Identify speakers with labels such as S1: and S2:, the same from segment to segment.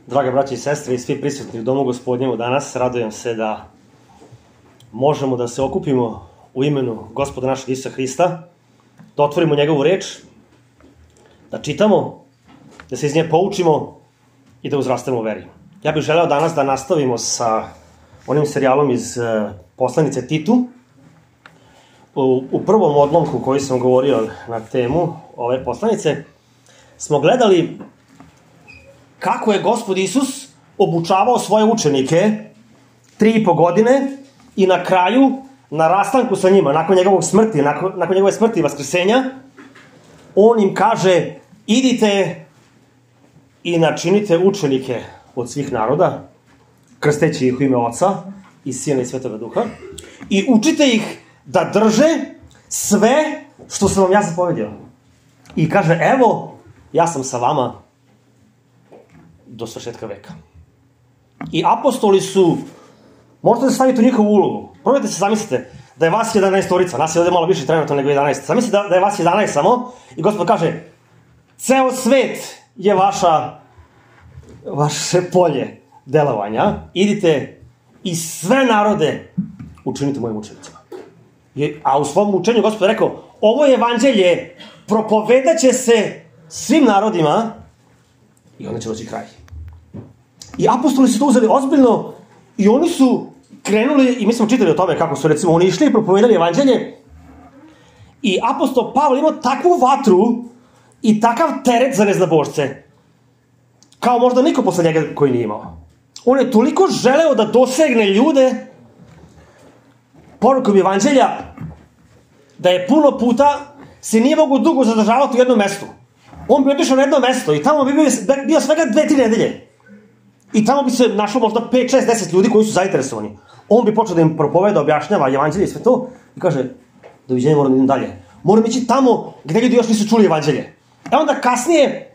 S1: Drage braće i sestre i svi prisutni u Domu Gospodnjemu danas, radujem se da možemo da se okupimo u imenu Gospoda našeg Isusa Hrista, da otvorimo njegovu reč, da čitamo, da se iz nje poučimo i da uzrastemo u veri. Ja bih želeo danas da nastavimo sa onim serijalom iz poslanice Titu. U prvom odlomku koji sam govorio na temu ove poslanice smo gledali kako je Gospod Isus obučavao svoje učenike 3,5 godine i na kraju, na rastanku sa njima, nakon njegovog smrti, nakon njegove smrti i vaskrsenja, on im kaže: idite i načinite učenike od svih naroda, krsteći ih u ime Oca i Sina i Svetoga Duha, i učite ih da drže sve što sam vam ja zapovedio. I kaže: evo, ja sam sa vama do svršetka veka. I apostoli su, možete da stavite u njihovu ulogu. Probajte se, zamislite da je vas 11-orica, nas je ovde malo više trenutno nego 11. Zamislite da je vas 11 samo i Gospod kaže: ceo svet je vaše polje delovanja, idite i sve narode učinite mojim učenicima. A u svom učenju Gospod je rekao: ovo evanđelje propovedat će se svim narodima i onda će doći kraj. I apostoli su to uzeli ozbiljno i oni su krenuli, i mi smo čitali o tome kako su, recimo, oni išli i propovedali evanđelje, i apostol Pavle imao takvu vatru i takav teret za neznabošce kao možda niko posle njega koji nije imao. On je toliko želeo da dosegne ljude porukom evanđelja da je puno puta se nije mogu dugo zadržavati u jednom mestu. On bi otišao na jedno mesto i tamo bi bio svega 2-3 nedelje. I tamo bi se našlo možda 5, 6, 10 ljudi koji su zainteresovani. On bi počeo da im propoveda, objašnjava evanđelje i sve to i kaže: doviđenja, moram da idem dalje. Moram ići tamo gde ljudi još nisu čuli evanđelje. E onda kasnije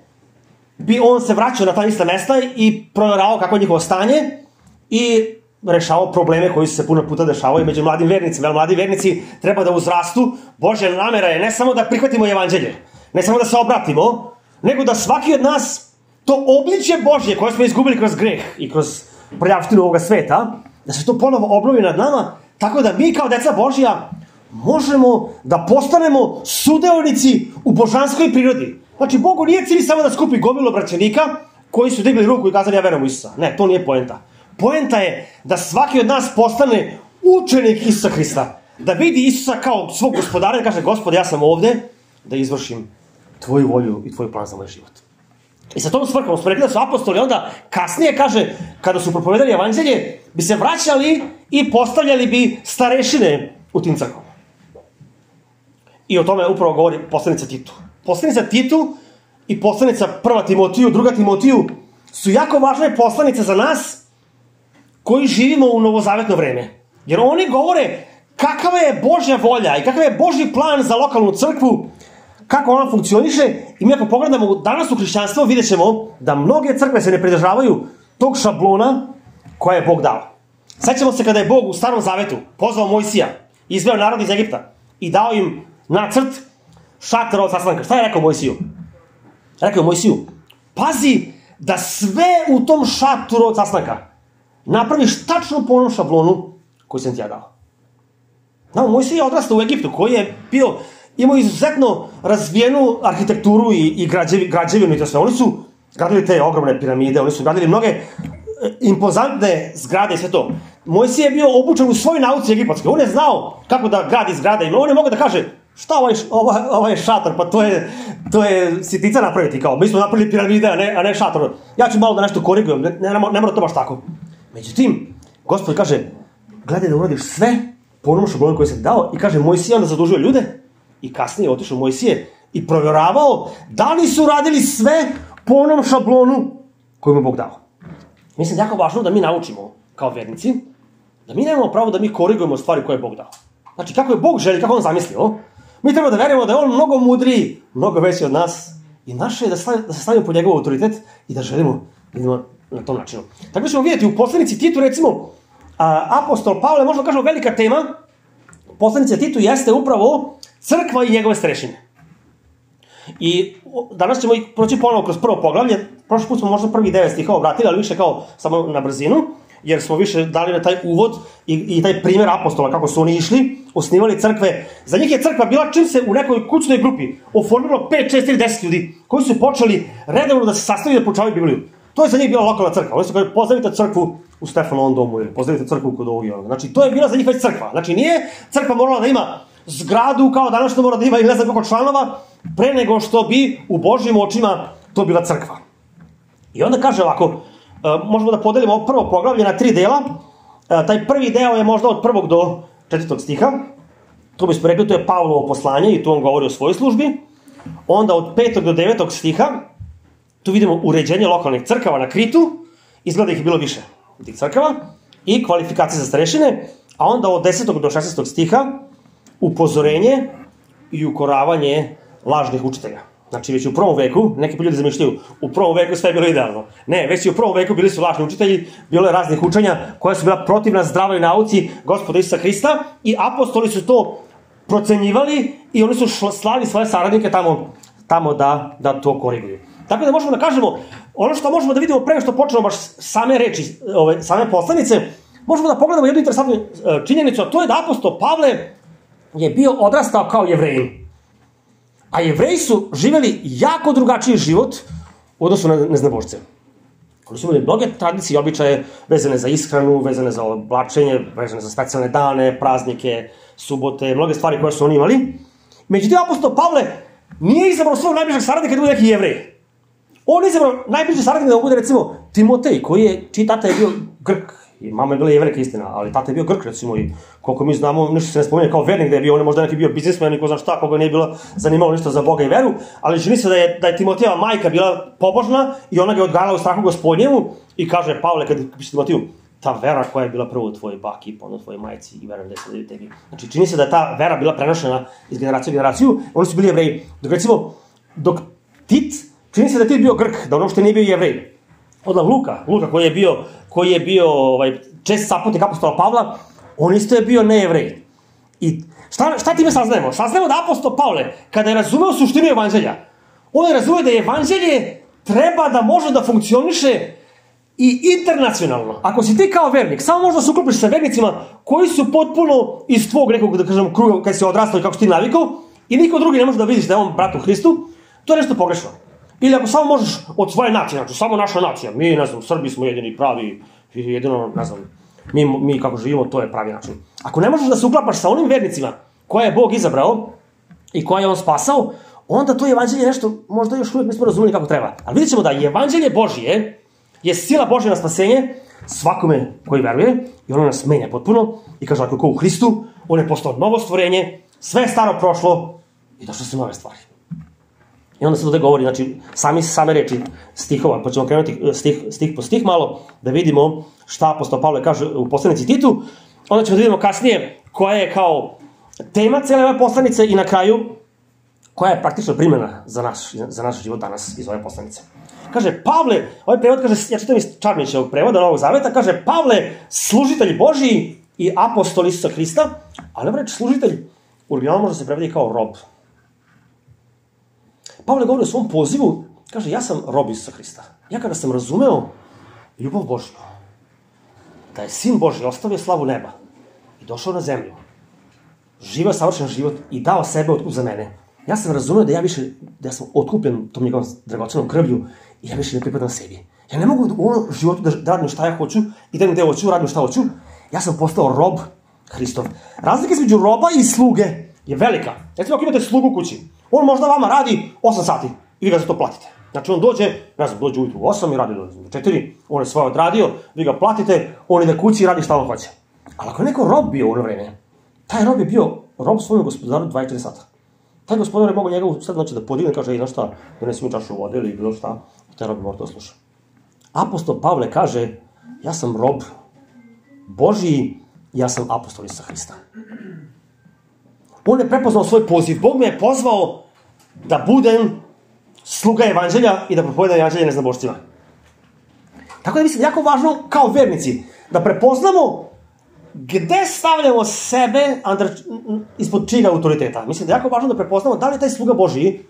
S1: bi on se vraćao na ta ista mesta i provjeravao kako je njihovo stanje i rešavao probleme koji su se puno puta dešavaju među mladim vernicima. Jer mladi vernici treba da uzrastu. Božja namera je ne samo da prihvatimo evanđelje, ne samo da se obratimo, nego da svaki od nas to obličje Božje koje smo izgubili kroz greh i kroz prljavštinu ovoga sveta, da se to ponovo obnovi nad nama, tako da mi kao deca Božja možemo da postanemo sudeonici u božanskoj prirodi. Znači, Bogu nije cilj samo da skupi gomilu braćenika koji su digli ruku i kazali: ja verujem u Isusa. Ne, to nije poenta. Poenta je da svaki od nas postane učenik Isusa Hrista. Da vidi Isusa kao svog gospodara i kaže: Gospode, ja sam ovde da izvršim tvoju volju i tvoj plan za moj život. I sa tom svrhom smo rekli da su apostoli onda kasnije, kaže, kada su propovedali evanđelje, bi se vraćali i postavljali bi starešine u tim crkvama. I o tome upravo govori poslanica Titu. Poslanica Titu i poslanica 1. Timotiju, 2. Timotiju su jako važne poslanice za nas koji živimo u novozavetno vreme. Jer oni govore kakva je Božja volja i kakav je Božji plan za lokalnu crkvu, kako ona funkcioniše. I mi ako pogledamo danas u hrišćanstvo, vidjet ćemo da mnoge crkve se ne pridržavaju tog šablona koje je Bog dao. Sećamo se kada je Bog u Starom Zavetu pozvao Mojsija, izveo narod iz Egipta i dao im nacrt šatora od sastanka. Šta je rekao Mojsiju? Rekao je Mojsiju: pazi da sve u tom šatoru od sastanka napraviš tačno po onom šablonu koji sam ti ja dao. No, Mojsije je odrastao u Egiptu, koji je imao izuzetno razvijenu arhitekturu i građevinu i to sve. Oni su gradili te ogromne piramide, oni su gradili mnoge impozantne zgrade i sve to. Mojsije je bio obučen u svoj nauci egipatske. On je znao kako da gradi zgrade i on je mogao da kaže: šta ovaj šator, pa to je sitica napraviti, kao mi smo napravili piramide, a ne šator. Ja ću malo da nešto korigujem, ne mora to baš tako. Međutim, Gospod kaže: gledaj da uradiš sve po onom šablonu koji sam dao, i kaže Mojsije onda zadužio ljude i kasnije je otišao Mojsije i provjeravao da li su radili sve po onom šablonu koji mu Bog dao. Mislim da je jako važno da mi naučimo kao vernici da mi nemamo pravo da mi korigujemo stvari koje je Bog dao. Znači, kako je Bog želi, kako on zamislio, mi treba da verujemo da je on mnogo mudriji, mnogo veći od nas i naše je da se stavimo pod njegov autoritet i da želimo na tom načinu. Tako da ćemo vidjeti u poslanici Titu, recimo, apostol Pavle, možda kažemo velika tema poslanice Titu jeste upravo crkva i njegove starešine. I danas ćemo proći ponovo kroz prvo poglavlje. Prošli put smo možda prvi 9 stihova obratili, ali više kao samo na brzinu, jer smo više dali na taj uvod i taj primjer apostola, kako su oni išli, osnivali crkve. Za njih je crkva bila čim se u nekoj kućnoj grupi oformilo 5, 6 ili 10 ljudi koji su počeli redovno da se sastavljaju da poučavaju Bibliju. To je za njih bila lokalna crkva. Oni su kao, pozdravite crkvu u Stefanovom domu ili pozdravite crkvu kod ovog. Znači, to je bila za njih već crkva. Znači, nije crkva morala da ima zgradu kao danas što mora da ima ili ne znam koliko članova, pre nego što bi u Božjim očima to bila crkva. I onda kaže ovako, možemo da podelimo ovo prvo poglavlje na 3 dela. Taj prvi deo je možda od 1. do 4. stiha. To bismo rekli, to je Pavlovo poslanje i tu on govori o svojoj službi. Onda od 5. do 9. stiha, tu vidimo uređenje lokalnih crkava na Kritu, izgleda ih je bilo više tih crkava, i kvalifikacije za starešine, a onda od 10. do 16. stiha, upozorenje i ukoravanje lažnih učitelja. Znači, već u prvom veku, neki ljudi zamišljaju, u prvom veku sve je bilo idealno. Ne, već i u prvom veku bili su lažni učitelji, bilo je raznih učenja koja su bila protivna zdravoj nauci Gospoda Isusa Hrista i apostoli su to procenjivali i oni su slali svoje saradnike tamo da to koriguju. Tako da možemo da kažemo, ono što možemo da vidimo pre što počnemo baš same reči, same poslanice, možemo da pogledamo jednu interesantnu činjenicu, a to je da apostol Pavle je bio odrastao kao Jevreji. A Jevreji su živeli jako drugačiji život u odnosu na neznabošce. Oni su imali mnoge tradicije i običaje vezane za ishranu, vezane za oblačenje, vezane za specijalne dane, praznike, subote, mnoge stvari koje su oni imali. Međutim, apostol Pavle nije izabrao svog najbližeg saradnika da bude neki Jevrej. On je izabrao najbliži saradnik da bude, recimo, Timotej, čiji tata je bio Grk. I mama je bila Jevrejka, istina, ali tata je bio Grk, recimo, i koliko mi znamo, ništa se ne spominje kao vernik da je bio, on je možda neki bio biznismen, niko zna šta, koga nije bilo zanimalo ništa za Boga i veru, ali čini se da je Timotejeva majka bila pobožna i ona ga je odgajala u strahu Gospodnjemu i kaže, Pavle, kad piše Timoteju, ta vera koja je bila prvo u tvojoj baki, pa onda u tvojoj majci i verujem da je sada i tebi. Znači, čini se da je ta vera bila prenošena iz generacije u generaciju, oni su bili Jevreji. Dok Tit, čini se da je Tit bio Grk, da on uopšte nije bio Jevrej. Onda Luka koji je bio čest saputnik apostola Pavla, on isto je bio nejevrej. I šta time saznajemo? Saznajemo da apostol Pavle, kada je razumeo suštinu evanđelja, on je razumeo da evanđelje treba da može da funkcioniše i internacionalno. Ako si ti kao vernik, samo možda se uklopiš sa vernicima koji su potpuno iz tvog nekog, da kažem, kruga kada si odrastao i kako si ti navikao i niko drugi ne može da vidiš da je on brat u Hristu, to je nešto pogrešno. Ili ako samo možeš od svoje nacije, znači samo naša nacija, mi, ne znam, Srbi smo jedini pravi, jedino, ne znam, mi kako živimo, to je pravi način. Ako ne možeš da se uklapaš sa onim vernicima koje je Bog izabrao i koje je on spasao, onda to evanđelje nešto, možda još uvijek nismo razumeli kako treba. Ali vidjet ćemo da evanđelje Božije je sila Božja na spasenje svakome koji veruje i ono nas menja potpuno i kaže ako ko u Hristu, on je postao novo stvorenje, sve je staro prošlo i došle su nove stvari. I onda se ovdje govori, znači, same reči stihova, pa ćemo krenuti stih po stih malo, da vidimo šta apostol Pavle kaže u poslanici Titu, onda ćemo da vidimo kasnije koja je kao tema cijele ove poslanice i na kraju koja je praktično primjena za naš život danas iz ove poslanice. Kaže, Pavle, ovaj prevod kaže, ja čitam iz Čarnićevog prevoda Novog Zaveta, kaže, Pavle, služitelj Božiji i apostol Isusa Hrista, ali ovo reč služitelj, u originalu može se prevedi kao rob. Pavle govori o svom pozivu, kaže, ja sam rob Isusa Hrista. Ja kada sam razumeo ljubav Božju, da je Sin Božji ostavio slavu neba i došao na zemlju, živeo savršen život i dao sebe za mene, ja sam razumeo da ja sam otkupljen tom njegovom dragocenom krvlju i ja više ne pripadam sebi. Ja ne mogu u ovom životu da radim šta ja hoću i da im gde hoću, radim šta hoću. Ja sam postao rob Hristov. Razlika između roba i sluge je velika. Recimo, ako imate slugu u kući, on možda vama radi 8 sati i vi ga za to platite. Znači, on dođe ujutru u 8 i radi do 4, on je svoje odradio, vi ga platite, on ide kući i radi šta on hoće. Ali ako je neko rob bio u ono vreme, taj rob je bio rob svojom gospodaru 24 sata. Taj gospodar je mogo njega u sred noći da podigne, kaže, znaš šta, donesi mi čašu vode ili bilo šta, i taj rob je mora to sluša. Apostol Pavle kaže, ja sam rob Božiji, ja sam apostol Isusa Hrista. On je prepoznao svoj poziv. Bog me je pozvao da budem sluga evanđelja i da propovedam evanđelje neznabošcima. Tako da mislim, jako važno kao vernici da prepoznamo gde stavljamo sebe ispod čijeg autoriteta. Mislim da je jako važno da prepoznamo da li je taj sluga Božiji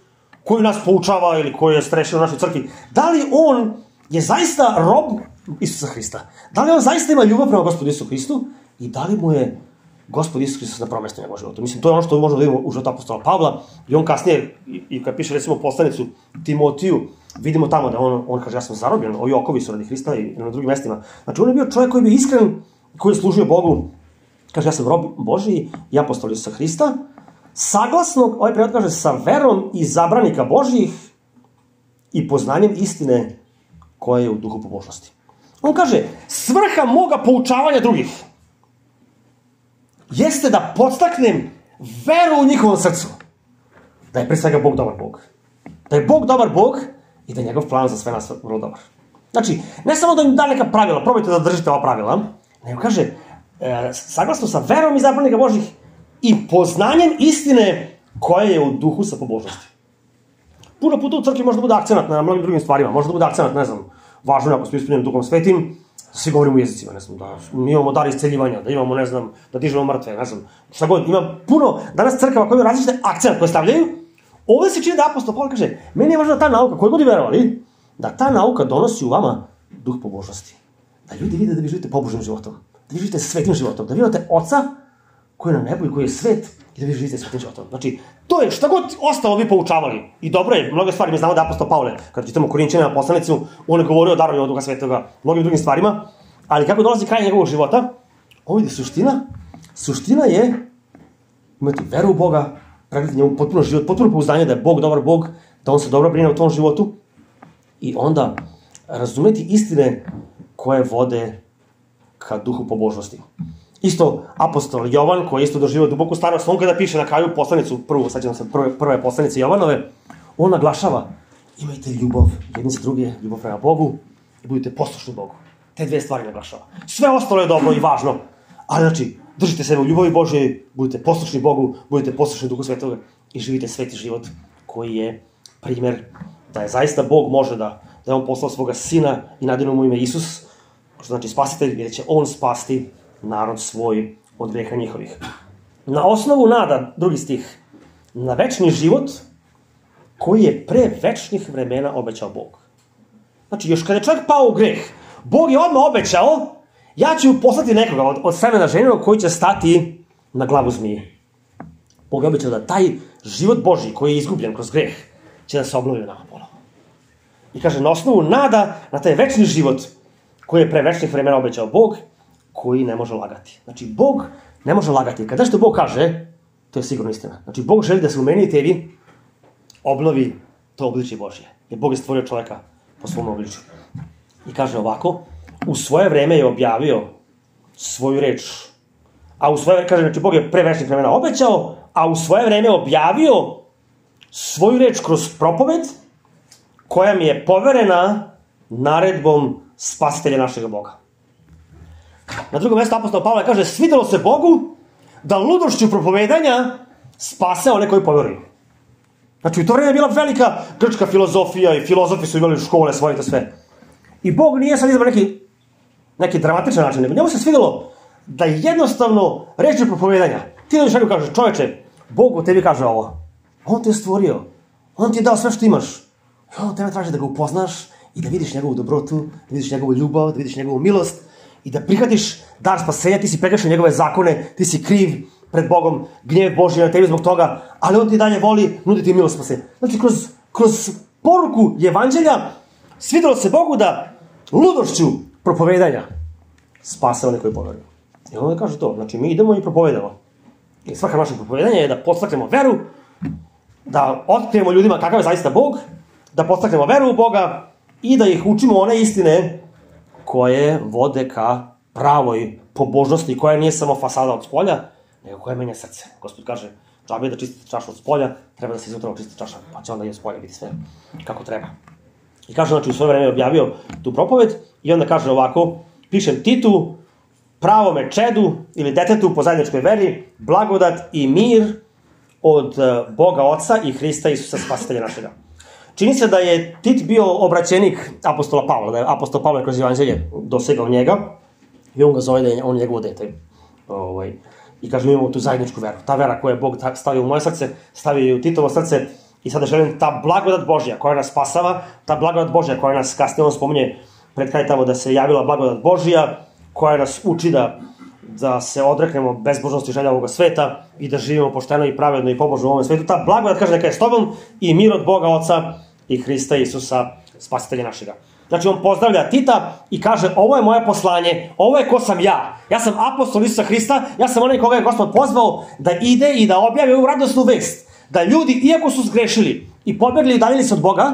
S1: koji nas poučava ili koji je strešio u našoj crkvi, da li on je zaista rob Isusa Hrista? Da li on zaista ima ljubav prema Gospodu Isusu Hristu i da li mu je Gospod Isus Hristos na prvom mjestu njegovog života? Mislim, to je ono što možemo da vidimo u životu apostola Pavla i on kasnije, i kad piše recimo poslanicu Timotiju, vidimo tamo da on kaže ja sam zarobljen, ovi okovi su radi Hrista i na drugim mjestima. Znači on je bio čovjek koji je bio iskren, koji je služio Bogu, kaže ja sam rob Božiji i apostol Isusa Hrista, saglasno, ovaj prevod kaže, sa verom izabranika Božjih i poznanjem istine koja je u duhu pobožnosti. On kaže, svrha moga poučavanja drugih jeste da podstaknem veru u njihovom srcu. Da je pre svega Bog dobar Bog. Da je Bog dobar Bog i da je njegov plan za sve nas vrlo dobar. Znači, ne samo da im da neka pravila, probajte da držite ova pravila, nego kaže, saglasno sa verom izabranika Božjih i poznanjem istine koja je u duhu sa pobožnosti. Puno puta u crkvi može da bude akcenat na mnogim drugim stvarima. Može da bude akcenat, ne znam, važno je ako smo ispunjeni Duhom Svetim, svi govorimo u jezicima, ne znam, da mi imamo dar isceljivanja, da imamo, ne znam, da dižemo mrtve, ne znam, šta god. Ima puno danas crkava koji ima različite akcenat koje stavljaju. Ovdje se čini da apostol Pavle kaže, meni je važno da ta nauka, koji god i verovali, da ta nauka donosi u vama duh pobožnosti. Da ljudi vide da vi živite pobožnim životom, da vi živite svetim životom, da vi imate Oca koji je na nebu i koji je svet i da vi živite svetim životom. Znači, to je šta god ostalo vi poučavali. I dobro je, mnoge stvari, mi znamo da apostol Pavle, kada čitamo Korinćanima poslanicu, on je govorio o darovanju Duha Svetoga, mnogim drugim stvarima, ali kako dolazi kraj njegovog života, ovo je suština je imati veru u Boga, pregledati njemu potpuno život, potpuno pouzdanje da je Bog dobar Bog, da on se dobro brine o tom životu i onda razumeti istine koje vode ka duhu pobožnosti. Isto apostol Jovan, koji je isto doživio duboku starost, on kada piše na kraju poslanicu, prve poslanice Jovanove, on naglašava, imajte ljubav jedni za druge, ljubav prema Bogu i budite poslušni Bogu. Te dve stvari naglašava. Sve ostalo je dobro i važno, ali znači, držite sebe u ljubavi Božjoj, budite poslušni Bogu, budite poslušni Duhu Svetoga i živite sveti život koji je primjer da je zaista Bog može da je on poslao svoga sina i nadano mu ime Isus, što znači spasitelj, jer će on spasti narod svoj od greha njihovih. Na osnovu nada, drugi stih, na večni život koji je pre večnih vremena obećao Bog. Znači, još kada je čovjek pao u greh, Bog je odmah obećao, ja ću poslati nekoga od semena ženinog koji će stati na glavu zmije. Bog je obećao da taj život Božji koji je izgubljen kroz greh će da se obnovi nama ponovo. I kaže, na osnovu nada na taj večni život koji je pre večnih vremena obećao Bog, koji ne može lagati. Znači, Bog ne može lagati. Kada što Bog kaže, to je sigurno istina. Znači, Bog želi da se u meni i tebi obnovi to obličje Božje. Jer Bog je stvorio čovjeka po svom obličju. I kaže ovako, u svoje vreme je objavio svoju reč. A u svoje vreme, kaže, znači, Bog je pre večnih vremena obećao, a u svoje vreme objavio svoju reč kroz propoved, koja mi je poverena naredbom spasitelja našeg Boga. Na drugom mjestu apostol Pavle kaže, svidelo se Bogu da ludošću propovedanja spase one koji poveruju. Znači, u to vreme je bila velika grčka filozofija i filozofi su imali škole svoje i to sve. I Bog nije sad izbrao neki dramatičan način, nego njemu se svidelo da jednostavno reći propovedanja. Ti dođeš nekako kaže, čoveče, Bog u tebi kaže ovo. On te je stvorio. On ti je dao sve što imaš. I on tebe traži da ga upoznaš i da vidiš njegovu dobrotu, da vidiš njegovu ljubav, da vidiš njegovu milost i da prihvatiš dar spasenja, ti si prekršio njegove zakone, ti si kriv pred Bogom, gnjev Božji na tebi zbog toga, ali on ti dalje voli, nudi ti milost spasenja. Znači, kroz poruku evanđelja svidelo se Bogu da ludošću propovedanja spase one koji poveruju. I onda kaže to, znači mi idemo i propovedamo. I svaka naša propovedanja je da podstaknemo veru, da otkrijemo ljudima kakav je zaista Bog, da podstaknemo veru u Boga i da ih učimo one istine koje vode ka pravoj pobožnosti, koja nije samo fasada od spolja, nego koja menja srce. Gospod kaže, džabe da čistite čašu od spolja, treba da se iznutra očisti čaša, pa će onda i od spolja biti sve kako treba. I kaže, znači, u svoje vreme objavio tu propoved i onda kaže ovako, pišem Titu, pravome čedu ili detetu po zajedničkoj veri, blagodat i mir od Boga Oca i Hrista Isusa spasitelja našega. Čini se da je Tit bio obraćenik apostola Pavla, da je apostol Pavle kroz evanđelje dosegao njega i on ga zove da je on njegovo dete. I kaže, mi imamo tu zajedničku veru. Ta vera koju je Bog stavio u moje srce, stavio je u Titovo srce I sada želim ta blagodat Božja koja nas spasava, ta blagodat Božja koja nas, kasnije on spominje pred kraj tamo da se javila blagodat Božja, koja nas uči da se odreknemo bezbožnosti želja ovoga sveta i da živimo pošteno i pravedno i pobožno u ovom svetu. Ta blagodat kaže neka je s tobom i mir od Boga Oca i Hrista Isusa, spasitelja našega. Znači on pozdravlja Tita i kaže ovo je moje poslanje, ovo je ko sam ja. Ja sam apostol Isusa Hrista, ja sam onaj koga je Gospod pozvao da ide i da objavi ovu radosnu vest. Da ljudi, iako su zgrešili i pobegli i udaljili se od Boga,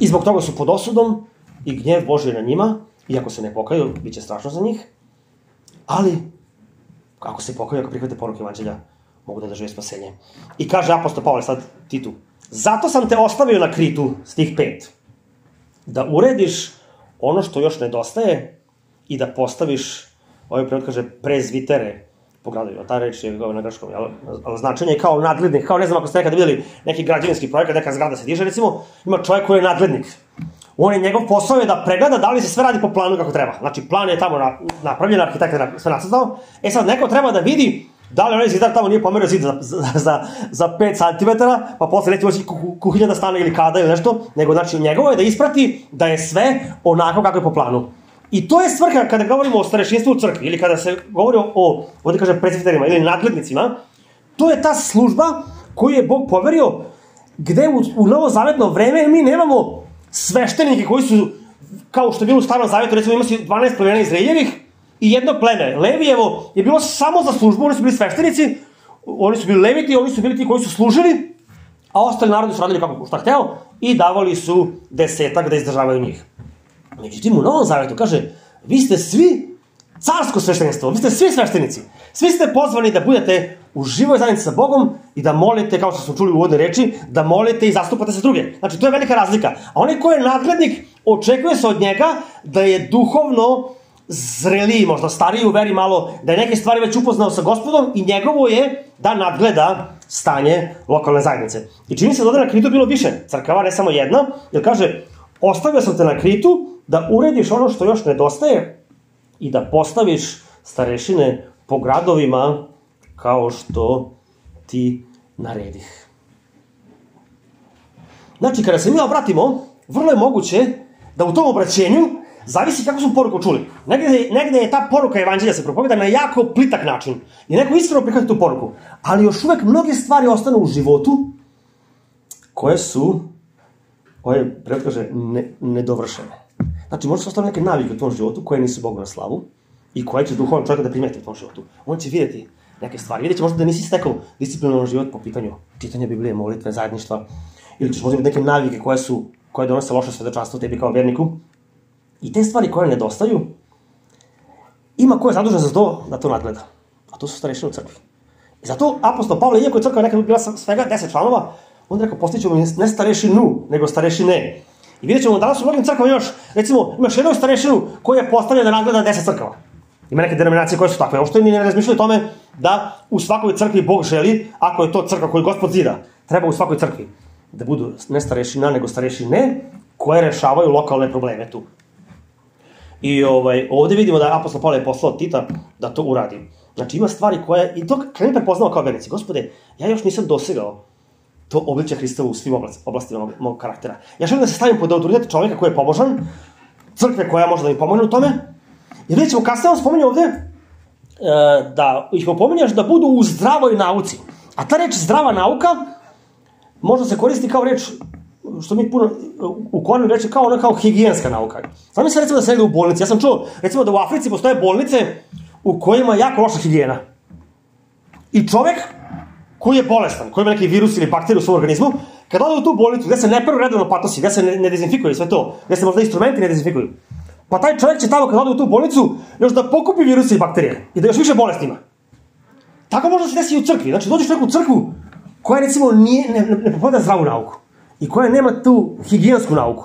S1: i zbog toga su pod osudom i gnjev Božji na njima, iako se ne pokaju, bit će strašno za njih, ali ako se pokaju, ako prihvate poruku evanđelja, mogu da dožive spasenje. I kaže apostol Pavle sad Titu, zato sam te ostavio na Kritu, stih 5, da urediš ono što još nedostaje i da postaviš, ovaj prevod kaže, prezvitere po gradovima. Ta reč je na grčkom, ali značenje je kao nadglednik, kao ne znam ako ste nekada vidjeli neki građevinski projekat, neka zgrada se diže, recimo, ima čovjek koji je nadglednik. Njegov posao je da pregleda da li se sve radi po planu kako treba. Znači, plan je tamo napravljen, arhitekt je sve nacrtao. Sad, neko treba da vidi da li onaj zidar tamo nije pomerio zid za 5 cm, pa posle neće moći kuhinja da stane ili kada ili nešto, nego znači njegovo je da isprati da je sve onako kako je po planu. I to je svrha kada govorimo o starešinstvu u crkvi ili kada se govori o ovdje kaže presviterima ili nadglednicima, to je ta služba koju je Bog poverio gde u novozavetno vreme mi nemamo sveštenike koji su, kao što je bilo u Starom Zavetu, recimo ima si 12 plemena Izraeljevih i jedno pleme, Levijevo, je bilo samo za službu, oni su bili sveštenici, oni su bili leviti, oni su bili ti koji su služili, a ostali narodi su radili kako šta hteo i davali su 10 da izdržavaju njih. Međutim, u Novom Zavetu kaže, vi ste svi carsko sveštenstvo, vi ste svi sveštenici, svi ste pozvani da budete u živoj zajednici sa Bogom i da molite, kao što smo čuli u uvodnoj reči, da molite i zastupate se druge. Znači, to je velika razlika. A onaj ko je nadglednik, očekuje se od njega da je duhovno zreliji, možda stariji u veri malo, da je neke stvari već upoznao sa Gospodom i njegovo je da nadgleda stanje lokalne zajednice. I čini se da na Kritu bilo više crkava, ne samo jedna, jer kaže, ostavio sam te na Kritu da urediš ono što još nedostaje i da postaviš starešine po gradovima kao što ti naredih. Znači, kada se mi obratimo, vrlo je moguće da u tom obraćenju zavisi kako smo poruku čuli. Negde je ta poruka evanđelja se propoveda na jako plitak način. I neko iskreno prihvati tu poruku. Ali još uvek mnoge stvari ostanu u životu koje su, prevod kaže, nedovršene. Znači, možda su ostale neke navike u tvom životu koje nisu Bogu na slavu i koje će duhovan čovjek da primeti u tvom životu. On će vidjeti neke stvari. Vidjet će možda da nisi stekao disciplinovan život po pitanju čitanja Biblije, molitve, zajedništva, ili ćeš možda vidjeti neke navike koje donose loše svedočanstvo tebi kao verniku. I te stvari koje nedostaju, ima ko je zadužen za to da to nadgleda. A to su starešine u crkvi. I zato apostol Pavle, iako je crkva nekada bila svega 10 članova, on je rekao, postićemo ne starešinu, nego starešine. I vidjet ćemo danas u mnogim crkvama recimo, imaš jednog starešinu koji je postavljen da nadgleda 10 crkava. Ima neke denominacije koje su takve. Ovo što ni ne razmišljaju o tome da u svakoj crkvi Bog želi, ako je to crkva koju Gospod zida, treba u svakoj crkvi da budu ne starešina, nego starešine koje rešavaju lokalne probleme tu. I ovdje vidimo da je apostol Pavle poslao Tita da to uradi. Znači ima stvari koje, i to kad mi prepoznao kao vernici, Gospode, ja još nisam dosegao to obličje Hristova u svim oblastima mog karaktera. Ja želim da se stavim pod autoritet čovjeka koji je pobožan, crkve koja može da mi pomogne u tome. I vidjet ćemo, kasnije on spominje ovdje da ih opominjaš da budu u zdravoj nauci. A ta reč zdrava nauka možda se koristi kao reč, što mi puno u Koranu reče, kao higijenska nauka. Znam se recimo da se ide u bolnici. Ja sam čuo, recimo da u Africi postoje bolnice u kojima je jako loša higijena. I čovjek koji je bolestan, koji ima neki virus ili bakteriju u svom organizmu, kad ode u tu bolnicu gde se ne peru redovno patosi, gde se ne dezinfikuju sve to, gde se možda instrumenti ne dezinfikuju, pa taj čovjek će tamo kad ode u tu bolnicu još da pokupi viruse i bakterije i da još više bolesti ima. Tako možda se desi i u crkvi. Znači dođeš u neku crkvu koja recimo ne propoveda zdravu nauku i koja nema tu higijensku nauku.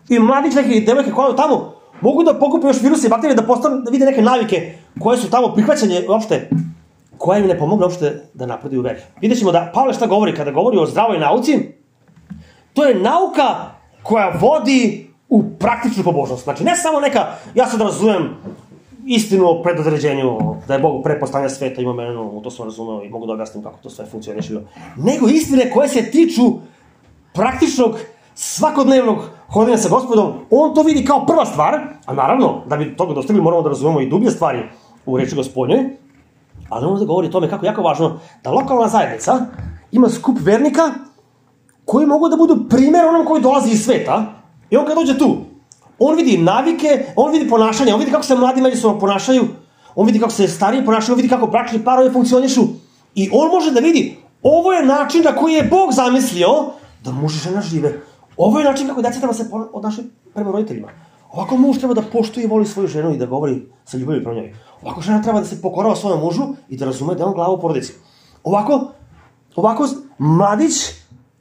S1: I mladić neki devojke koje odu tamo mogu da pokupe još viruse i bakterije da vide neke navike koje su tamo prihvaćanje uopšte, koje im ne pomogne uopšte da napreduju u veri. Vidjet ćemo da Pavle šta govori kada govori o zdravoj nauci. To je nauka koja vodi u praktičnu pobožnost. Znači ne samo neka, ja sad razumem istinu o predodređenju, da je Bog pre postavljanja sveta ima menu, to sam razumeo i mogu da objasnim kako to sve funkcioniše, nego istine koje se tiču praktičnog, svakodnevnog hodanja sa Gospodom. On to vidi kao prva stvar, a naravno, da bi toga dostigli, moramo da razumemo i dublje stvari u reči Gospodnjoj, ali on da govori o tome kako je jako važno da lokalna zajednica ima skup vernika koji mogu da budu primer onom koji dolazi iz sveta, i on kad dođe tu, on vidi navike, on vidi ponašanje, on vidi kako se mladi međusobno ponašaju, on vidi kako se stariji ponašaju, on vidi kako bračni parovi funkcionišu, i on može da vidi, ovo je način na koji je Bog zamislio da muž i žena žive. Ovo je način kako deca treba se odnašati prema roditeljima. Ovako muž treba da poštuje i voli svoju ženu i da govori sa ljubavlju prema njoj. Ovako žena treba da se pokorava svojom mužu i da razume da je on glava u porodici. Ovako mladić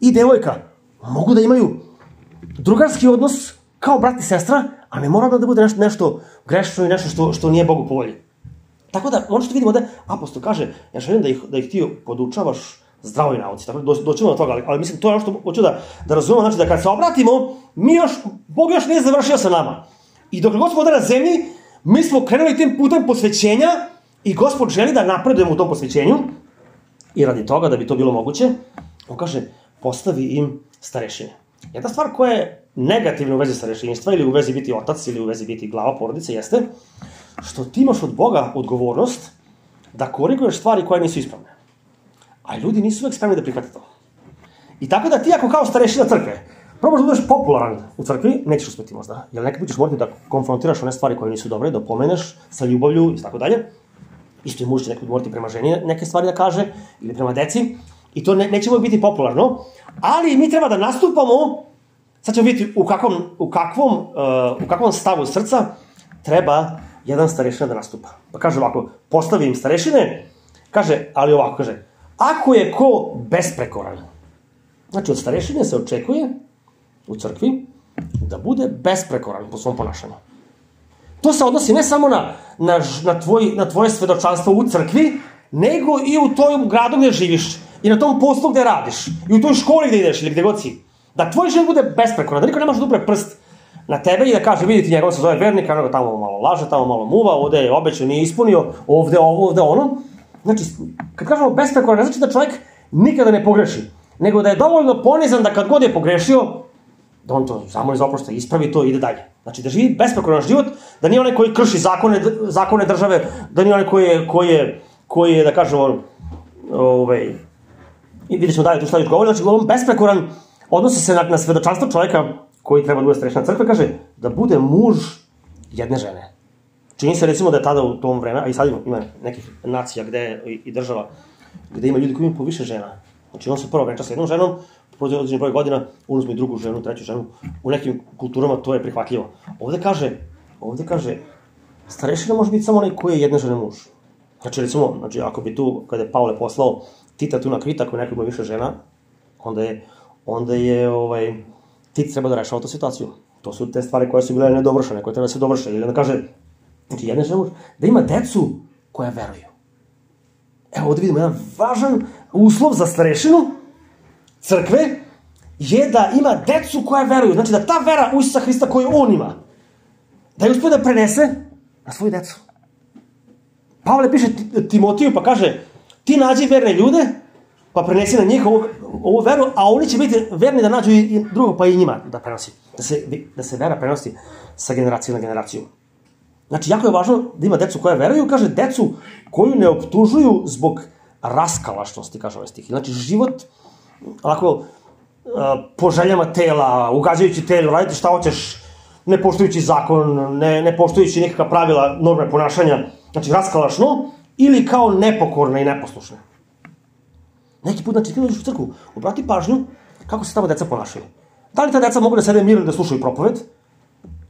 S1: i devojka mogu da imaju drugarski odnos kao brat i sestra, a ne mora da bude nešto grešno i nešto što nije Bogu po volji. Tako da, ono što vidimo da apostol kaže, ja želim da ih ti podučavaš zdravoj nauci, tako da doćemo do toga, ali mislim, to je ono što hoću da razumemo, znači da kad se obratimo, Bog još nije završio sa nama. I dok Gospod ovde na zemlji, mi smo krenuli tim putem posvećenja i Gospod želi da napredujemo u tom posvećenju, i radi toga, da bi to bilo moguće, on kaže, postavi im starešine. Jedna stvar koja je negativna u vezi starešinstva, ili u vezi biti otac, ili u vezi biti glava porodice, jeste što ti imaš od Boga odgovornost da koriguješ stvari koje nisu ispravne. A ljudi nisu uvek spremni da prihvate to. I tako da ti ako kao starešina crkve probaš da budeš popularan u crkvi, nećeš uspeti možda. Jer nekad ćeš morati da konfrontiraš one stvari koje nisu dobre, da opomeneš sa ljubavlju i tako dalje. Isto i muž će nekad morati prema ženi neke stvari da kaže, ili prema deci. I to neće biti popularno. Ali mi treba da nastupamo, sad ćemo vidjeti u kakvom stavu srca treba jedan starešina da nastupa. Pa kaže ovako, postavi im starešine, kaže, ali ovako, kaže, ako je ko besprekoran, znači od starešine se očekuje u crkvi da bude besprekoran po svom ponašanju. To se odnosi ne samo na tvoje svedočanstvo u crkvi, nego i u tom gradu gde živiš, i na tom poslu gde radiš, i u toj školi gde ideš, ili gde god si. Da tvoj život bude besprekoran, da niko ne može da upre prst na tebe i da kaže, vidite, njegov se zove vernik, a nego tamo malo laže, tamo malo muva, ovde je obećao, nije ispunio, ovde ovo, ovde ono. Znači, kad kažemo besprekoran, ne znači da čovjek nikada ne pogreši, nego da je dovoljno ponizan da kad god je pogrešio, da on to zamoli za oproštaj, ispravi to i ide dalje. Znači, da živi besprekoran život, da nije onaj koji krši zakone države, da nije onaj koji je, da kažemo, i vidjet ćemo dalje tu šta još govori, znači, on besprekoran odnosi se na svedočanstvo čovjeka koji treba da bude starešina crkve, kaže da bude muž jedne žene. Čini se recimo da je tada u tom vreme, a i sad ima nekih nacija i država gde ima ljudi koji imaju po više žena. Znači on se prvo venča sa jednom ženom, prođe određeni broj godina, uzme i drugu ženu, treću ženu. U nekim kulturama to je prihvatljivo. Ovde kaže, starešina može biti samo onaj koji je jedne žene muž. Znači recimo, ako bi tu, kada je Pavle poslao Tita tu na Krit, ako je neko ima više žena, onda je Tit treba da rešava tu situaciju. To su te stvari koje su bile nedovršene, koje treba da se dovrše. Ili da kaže, znači jedna žena da ima decu koja veruju. Evo ovde vidimo jedan važan uslov za starešinu crkve je da ima decu koja veruju. Znači da ta vera u Isusa Hrista koju on ima, da je uspio da prenese na svoju decu. Pavle piše Timotiju pa kaže, ti nađi verne ljude, pa prenesi na njih ovu veru, a oni će biti verni da nađu i drugog, pa i njima da prenosi. Da se vera prenosi sa generacije na generaciju. Znači, jako je važno da ima decu koja veruju, kaže, decu koju ne optužuju zbog raskalašnosti, kaže ovaj stih. Znači, život, onako, po željama tela, ugađajući telu, raditi šta hoćeš, ne poštujući zakon, ne poštujući nekakva pravila, norme ponašanja, znači, raskalašno, ili kao nepokorna i neposlušna. Neki put, znači, ti dođeš u crkvu, obrati pažnju kako se tamo deca ponašaju. Da li ta deca mogu da sede mirno da slušaju propoved,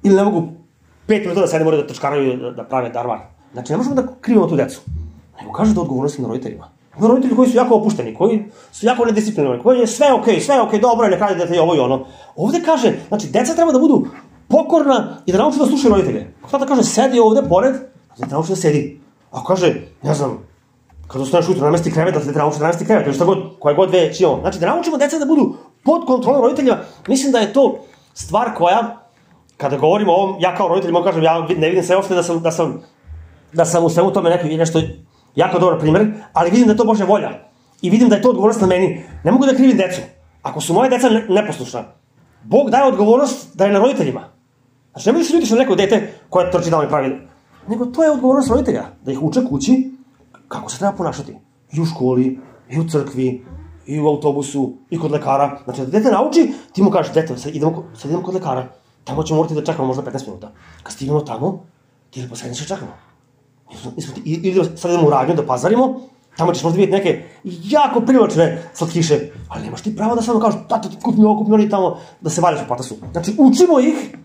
S1: ili ne mogu 5 minuta da sede, moraju da trčkaraju, da prave darvar. Znači, ne možemo da krivimo tu decu. Nego kaže da odgovornosti na roditeljima. Ima roditelji koji su jako opušteni, koji su jako nedisciplinovani, koji je sve okej, dobro, ne kaže dete i ovo i ono. Ovde kaže, znači, deca treba da budu pokorna i da nauče da slušaju roditelje. Ako tata kaže, sedi ovde pored, da te nauči da sedi. Ako kaže, ne znam, kada ostaneš ujutro, namesti krevet, da te nauči da namesti krevet, ili šta god, koje god već imamo. Znači, da naučimo deca da budu pod kontrolom roditelja. Mislim da je to stvar koja, kada govorimo o ovom, ja kao roditelj mogu kažem, ja ne vidim se uopšte da sam da sam u svemu tome nešto jako dobar primer, ali vidim da je to Božja volja. I vidim da je to odgovornost na meni. Ne mogu da krivim decu. Ako su moje deca neposlušna, Bog daje odgovornost da je na roditeljima. Znači, nemoj da se ljutiš na neko dete koje trči da oni pravi. Nego to je odgovornost roditelja. Da ih uče kući kako se treba ponašati. I u školi, i u crkvi, i u autobusu, i kod lekara. Znači, da dete nauči, ti mu kažeš, dete, sad idemo kod lekara. Tamo ćemo morati da čekamo možda 15 minuta. Kad stignemo tamo, ti ili poslednje čekamo. Ili sad idemo u radnju da pazarimo, tamo ćeš možda vidjeti neke jako privlačne slatkiše, ali nemaš ti pravo da samo kažeš, tata ti kupi ovo, kupi oni tamo, da se valjaš u patasu. Znači, učimo ih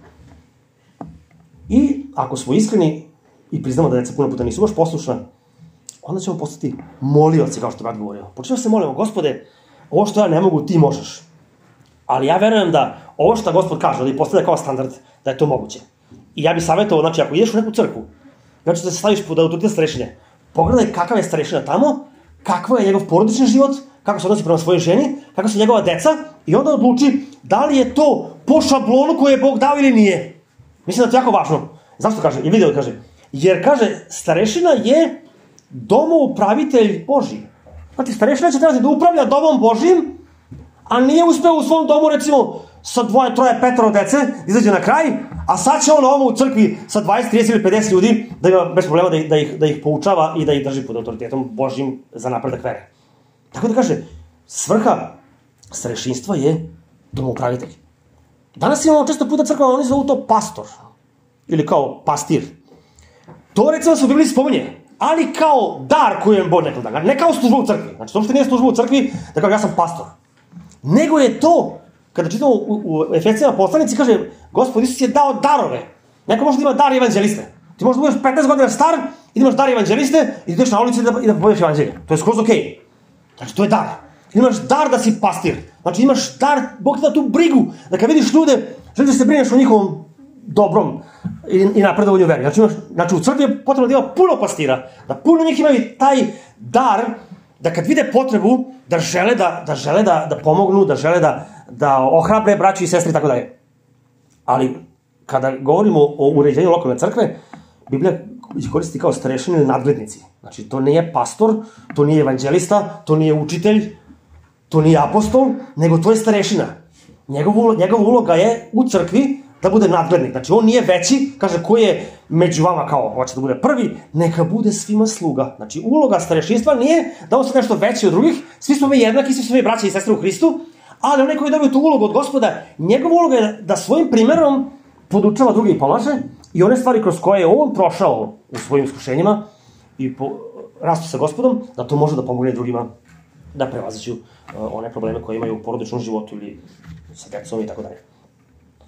S1: i ako smo iskreni i priznamo da deca puno puta nisu baš poslušna, onda ćemo postati molioci, kao što je brat govorio. Počnemo se molimo, Gospode, ovo što ja ne mogu, ti možeš. Ali ja verujem da ovo što Gospod kaže, da ih postavlja kao standard, da je to moguće. I ja bih savjetovao, znači, ako ideš u neku crkvu, znači da se staviš pod autoritet starešine, pogledaj kakav je starešina tamo, kakav je njegov porodični život, kako se odnosi prema svojoj ženi, kako su njegova deca, i onda odluči da li je to po šablonu koje je Bog dao ili nije. Mislim da je to jako važno. Zašto kaže? I video kaže. Jer kaže, starešina je domoupravitelj Božji. Znači, starešina će trebati da upravlja domom Božjim, a nije uspeo u svom domu, recimo, sa 2, 3, 5 dece, izađe na kraj, a sad će on ovo u crkvi sa 20, 30 ili 50 ljudi da ima bez problema da ih poučava i da ih drži pod autoritetom Božjim za napredak vere. Tako da kaže, svrha starešinstva je domoupravitelj. Danas imamo često puta crkva, oni zovu to pastor ili kao pastir. To recimo se u Bibliji spominje, ali kao dar koji je Bog nekog da, ne kao služba u crkvi. Znači, to uopšte nije služba u crkvi da kao ja sam pastor. Nego je to, kada čitamo u Efesijama poslanici, kaže, Gospod Isus je dao darove. Neko može da ima dar evanđeliste. Ti možeš da budeš 15 godina star i da imaš dar evanđeliste i da ideš na ulici i da povedeš evanđelje. To je skroz okej. Znači, to je dar. Imaš dar da si pastir. Znači, imaš dar, Bog ti da tu brigu, da kad vidiš ljude, želiš da se brineš o njihovom dobrom i napredovanju veri. Znači, u crkvi je potrebno da ima puno pastira, da puno njih imaju taj dar, da kad vide potrebu, da žele da pomognu, da žele da ohrabre braću i sestri i tako dalje. Ali, kada govorimo o uređenju lokalne crkve, Biblija koristi kao starešine ili nadglednici. Znači, to nije pastor, to nije evanđelista, to nije učitelj, to nije apostol, nego to je starešina. Njegova uloga je u crkvi da bude nadglednik. Znači, on nije veći, kaže, ko je među vama kao, hoće da bude prvi, neka bude svima sluga. Znači, uloga starešinstva nije da on se nešto veći od drugih, svi smo mi jednaki, svi smo mi braća i sestre u Hristu, ali onaj koji dobije tu ulogu od Gospoda, njegova uloga je da svojim primerom podučava druge i pomaže i one stvari kroz koje je on prošao u svojim iskušenjima i rastu sa Gospodom, da to može da pomogne drugima da prevaziću one probleme koje imaju u porodičnom životu ili sa decom i tako dalje.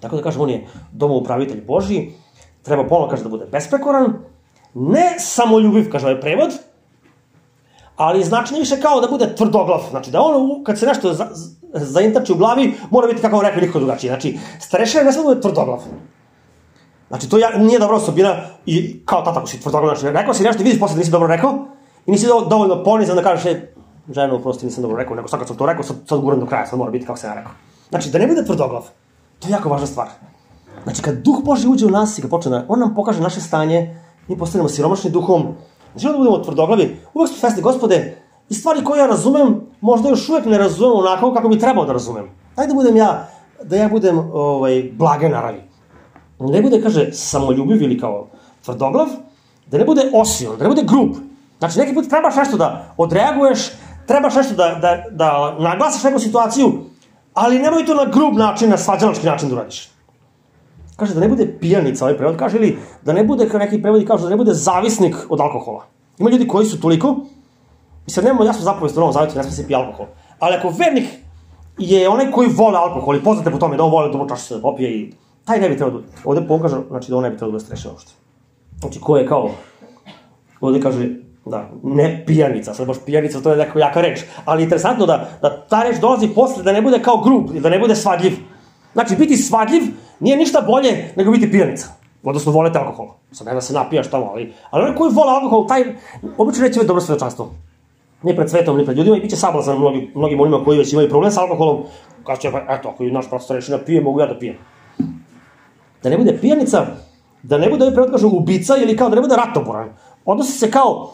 S1: Tako da kažem, on je domoupravitelj Božji, treba ponovno, kaže, da bude besprekoran, ne samoljubiv, kaže ovaj prevod, ali znači više kao da bude tvrdoglav. Znači, da on, kad se nešto zaintači u glavi, mora biti, kako vam rekli, nikako drugačije. Znači, starešina ne samo da bude tvrdoglav. Znači, to nije dobra osobina i kao tata, ako si tvrdoglav, znači, rekao si nešto i vidiš posle da nisi dobro rekao i nisi dovoljno ponizan da kažeš, ženo, prosto nisam dobro rekao, nego sad kad sam to rekao, sad guram do kraja, sad mora biti kako sam ja rekao. Znači, da ne bude tvrdoglav. To je jako važna stvar. Znači, kad Duh Božji uđe u nas i kad počne, on nam pokaže naše stanje, mi postanemo siromašni duhom, znači da budemo tvrdoglavi, uvek smo svesni, Gospode, i stvari koje ja razumem, možda još uvek ne razumem onako kako bi trebao da razumem. Daj da ja budem blage naravi. Da ne bude, kaže, samoljubiv ili kao tvrdoglav, da ne bude osion, da ne bude grub. Znači, neki put trebaš nešto da odreaguješ, trebaš nešto da naglasiš neku situaciju, ali nemoj to na grub način, na svađalački način da uradiš. Kaže da ne bude pijanica, ovaj prevod kaže, ili da ne bude, kao neki prevodi kažu, da ne bude zavisnik od alkohola. Ima ljudi koji su toliko, i sad nemamo jasno zapovest u Novom Zavjetu, ne sme se pije alkohol. Ali ako vernik je onaj koji vole alkohol i poznate po tome da on vole dobro čašice da popije i taj ne bi trebao, ovde pokaže, znači da on ne bi trebao da bude strešen uopšte. Znači ko je kao, ovde kaže, da, ne pijanica, sad baš pijanica, to je neka jaka reč, ali interesantno da ta reč dolazi posle, da ne bude kao grub, da ne bude svadljiv. Znači, biti svadljiv nije ništa bolje nego biti pijanica, odnosno volete alkohol. Sad ne da se napijaš tamo, ali onaj koji vole alkohol, taj obično neće biti dobro svedočanstvo. Ni pred svetom, ni pred ljudima i bit će sablazan mnogim onima koji već imaju problem sa alkoholom, kaže će, eto, ako naš pastor reši da pije, mogu ja da pijem. Da ne bude pijanica, da ne bude, ovaj prevod kaže, ubica ili kao da ne bude ratoboran. odnosi se kao,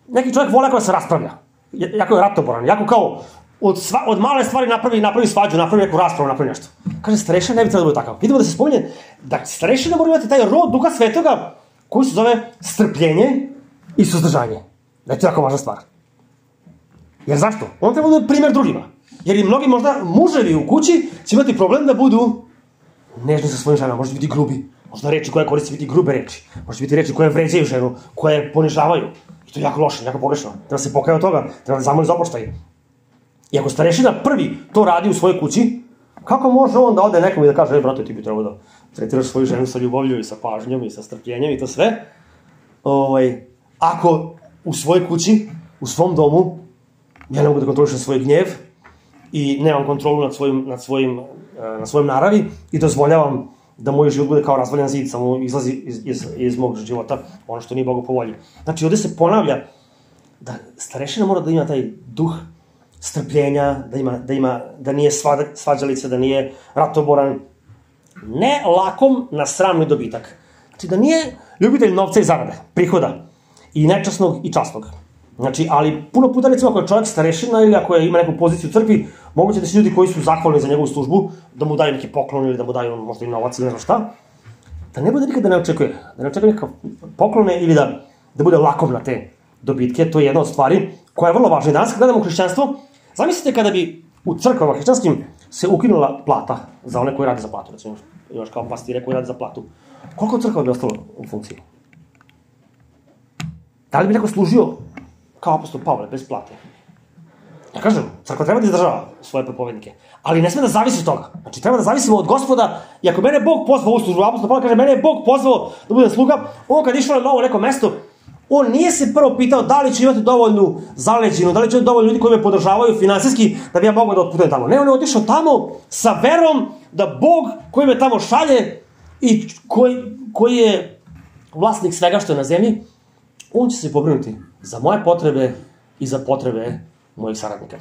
S1: neki čovjek vole ako se raspravlja, jako je ratoboran, jako kao, od male stvari napravi svađu, napravi neku raspravu, napravi nešto. Kaže, starešina ne bi trebalo da bude takav. Vidimo da se spominje da starešina mora imati taj rod Duha Svetoga koji se zove strpljenje i suzdržanje. Da je to jako važna stvar. Jer zašto? On treba da bude primjer drugima. Jer i mnogi možda muževi u kući će imati problem da budu nežni sa svojim ženama, možda biti grubi. Možda reči koje koristi biti grube reči. Možda biti reči koje vređaju ženu, koje ponižavaju. I to je jako loše, jako pogrešno. Treba se pokaje od toga, treba da zamoli za oproštaj. I ako starešina prvi to radi u svojoj kući, kako može on da ode nekom i da kaže, brate, ti bi trebao da tretiraš svoju ženu sa ljubavlju i sa pažnjom i sa strpljenjem i to sve. Ako u svojoj kući, u svom domu, ja ne mogu da kontrolišem svoj gnjev i nemam kontrolu nad svojim naravi i dozvoljavam da moj život bude kao razvaljan zid, samo izlazi iz mog života ono što nije Bogu po volji. Znači, ovde se ponavlja da starešina mora da ima taj duh strpljenja, da nije svađalica, da nije ratoboran, ne lakom na sramni dobitak. Znači, da nije ljubitelj novca i zarade, prihoda, i nečasnog i časnog. Znači, ali puno puta, recimo, ako je čovjek starešina ili ako ima neku poziciju u crkvi, moguće da se ljudi koji su zahvalni za njegovu službu, da mu daju neki poklon ili da mu daju možda i novac ili ne znam šta, da ne bude nikada ne očekuje neka poklone ili da bude lakov na te dobitke. To je jedna od stvari koja je vrlo važna. I danas kad gledamo hrišćanstvo, zamislite kada bi u crkvama hrišćanskim se ukinula plata za one koji rade za platu, recimo, imaš kao pastire koji rade za platu. Koliko crkva bi ostalo u funkciji? Da li bi neko služio kao apostol Pavle, bez plate? Ja kažem, crkva treba da izdržava svoje propovednike, ali ne sme da zavisi od toga. Znači, treba da zavisimo od Gospoda i ako mene Bog pozvao u službu, apostol Pavle kaže, mene je Bog pozvao da budem sluga, on kad išao na novo neko mesto, on nije se prvo pitao da li će imati dovoljnu zaleđinu, da li će imati dovoljno ljudi koji me podržavaju finansijski da bi ja mogao da otputujem tamo. Ne, on je otišao tamo sa verom da Bog koji me tamo šalje i koji je vlasnik svega što je na zemlji, on će se pobrinuti za moje potrebe i za potrebe mojih saradnika.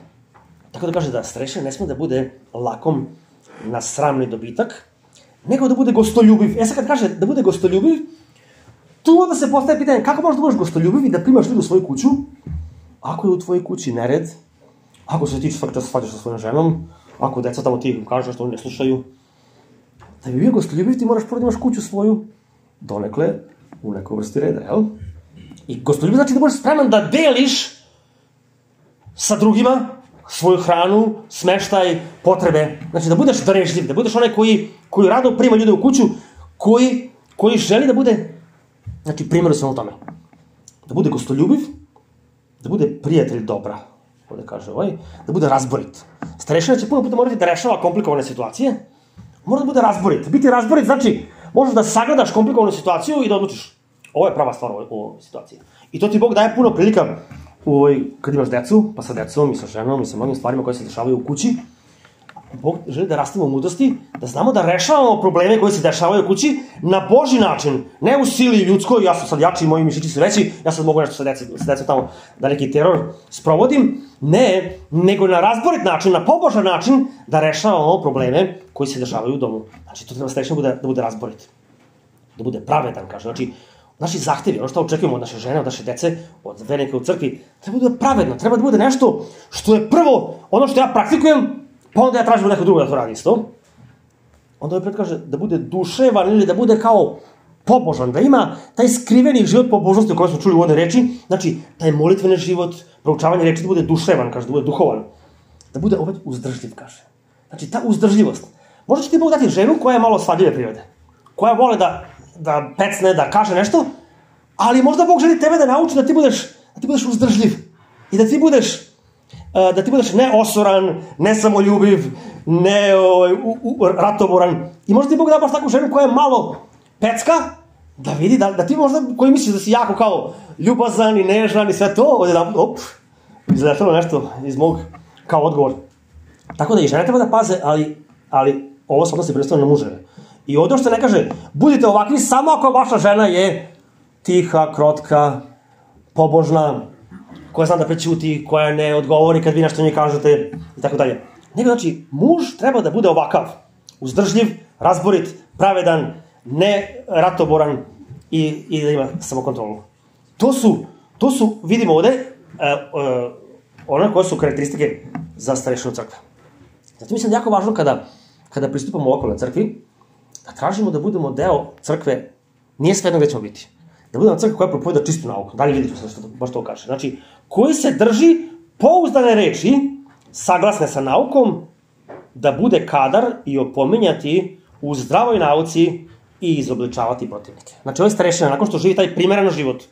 S1: Tako da kaže da starešina ne sme da bude lakom na sramni dobitak, nego da bude gostoljubiv. Sad kad kaže da bude gostoljubiv, tu onda se postaje pitanje kako možeš da budeš gostoljubiv i da primaš ljudi u svoju kuću, ako je u tvojoj kući nered, ako se ti svaki čas svađaš sa svojom ženom, ako deca tamo ti kažu što oni ne slušaju. Da bi bio gostoljubiv ti moraš prvo da imaš kuću svoju donekle u nekoj vrsti reda, jel? I gostoljubiv znači da budeš spreman da deliš sa drugima svoju hranu, smeštaj, potrebe. Znači da budeš darežljiv, da budeš onaj koji rado prima ljude u kuću, koji želi da bude, znači primjer u tome. Da bude gostoljubiv, da bude prijatelj dobra, ovde kaže da bude razborit. Starešina će puno puta morati da rešava komplikovane situacije, mora da bude razborit. Biti razborit znači možeš da sagledaš komplikovanu situaciju i da odlučiš ovo je prava stvar u ovoj situaciji. I to ti Bog daje puno prilika kad imaš decu, pa sa decom i sa ženom i sa mnogim stvarima koje se dešavaju u kući. Bog želi da rastemo u mudrosti, da znamo da rešavamo probleme koje se dešavaju u kući na Božji način, ne u sili ljudskoj, ja sam sad jači, moji mišići su veći, ja sad mogu nešto sa decom tamo da neki teror sprovodim, ne, nego na razborit način, na pobožan način da rešavamo probleme koji se dešavaju u domu. Znači, to treba starešina da bude razborit, da bude pravedan, kaže, znači, naši zahtevi, ono što očekujemo od naše žene, od naše dece, od vernika u crkvi, treba da bude pravedno, treba da bude nešto što je prvo ono što ja praktikujem, pa onda ja tražim od nekog druga da to radi isto. Onda ovaj kaže da bude duševan ili da bude kao pobožan, da ima taj skriveni život pobožnosti o kojem smo čuli u ovoj reči, znači taj molitveni život, proučavanje reči da bude duševan, kaže, da bude duhovan, da bude opet uzdržljiv, kaže. Znači ta uzdržljivost. Možda će ti Bog dati ženu koja je malo svadljive prirode, koja vole da pecne, da kaže nešto, ali možda Bog želi tebe da nauči da ti budeš uzdržljiv i da ti budeš ne osoran, ne samoljubiv, ne ratoboran. I možda ti Bog da baš takvu ženu koja je malo pecka, da vidi, da ti možda, koji misliš da si jako kao ljubazan i nežan i sve to, ovdje da, izletalo nešto iz mog kao odgovor. Tako da i žene treba da paze, ali ovo se odnosi prvenstveno na muževe. I ovdje što ne kaže, budite ovakvi samo ako vaša žena je tiha, krotka, pobožna, koja zna da prećuti, koja ne odgovori kad vi nešto njoj kažete i tako dalje. Nego znači, muž treba da bude ovakav, uzdržljiv, razborit, pravedan, ne ratoboran i da ima samokontrolu. to su vidimo ovde, one koje su karakteristike za starešinu crkve. Zato mislim da je jako važno kada pristupamo lokalnoj crkvi, da tražimo da budemo deo crkve, nije svejedno gde ćemo biti. Da budemo crkva koja propoveda čistu nauku. Dalje vidite što baš to kaže. Znači, koji se drži pouzdane reči, saglasne sa naukom, da bude kadar i opominjati u zdravoj nauci i izobličavati protivnike. Znači, ovaj starešina, nakon što živi taj primeran život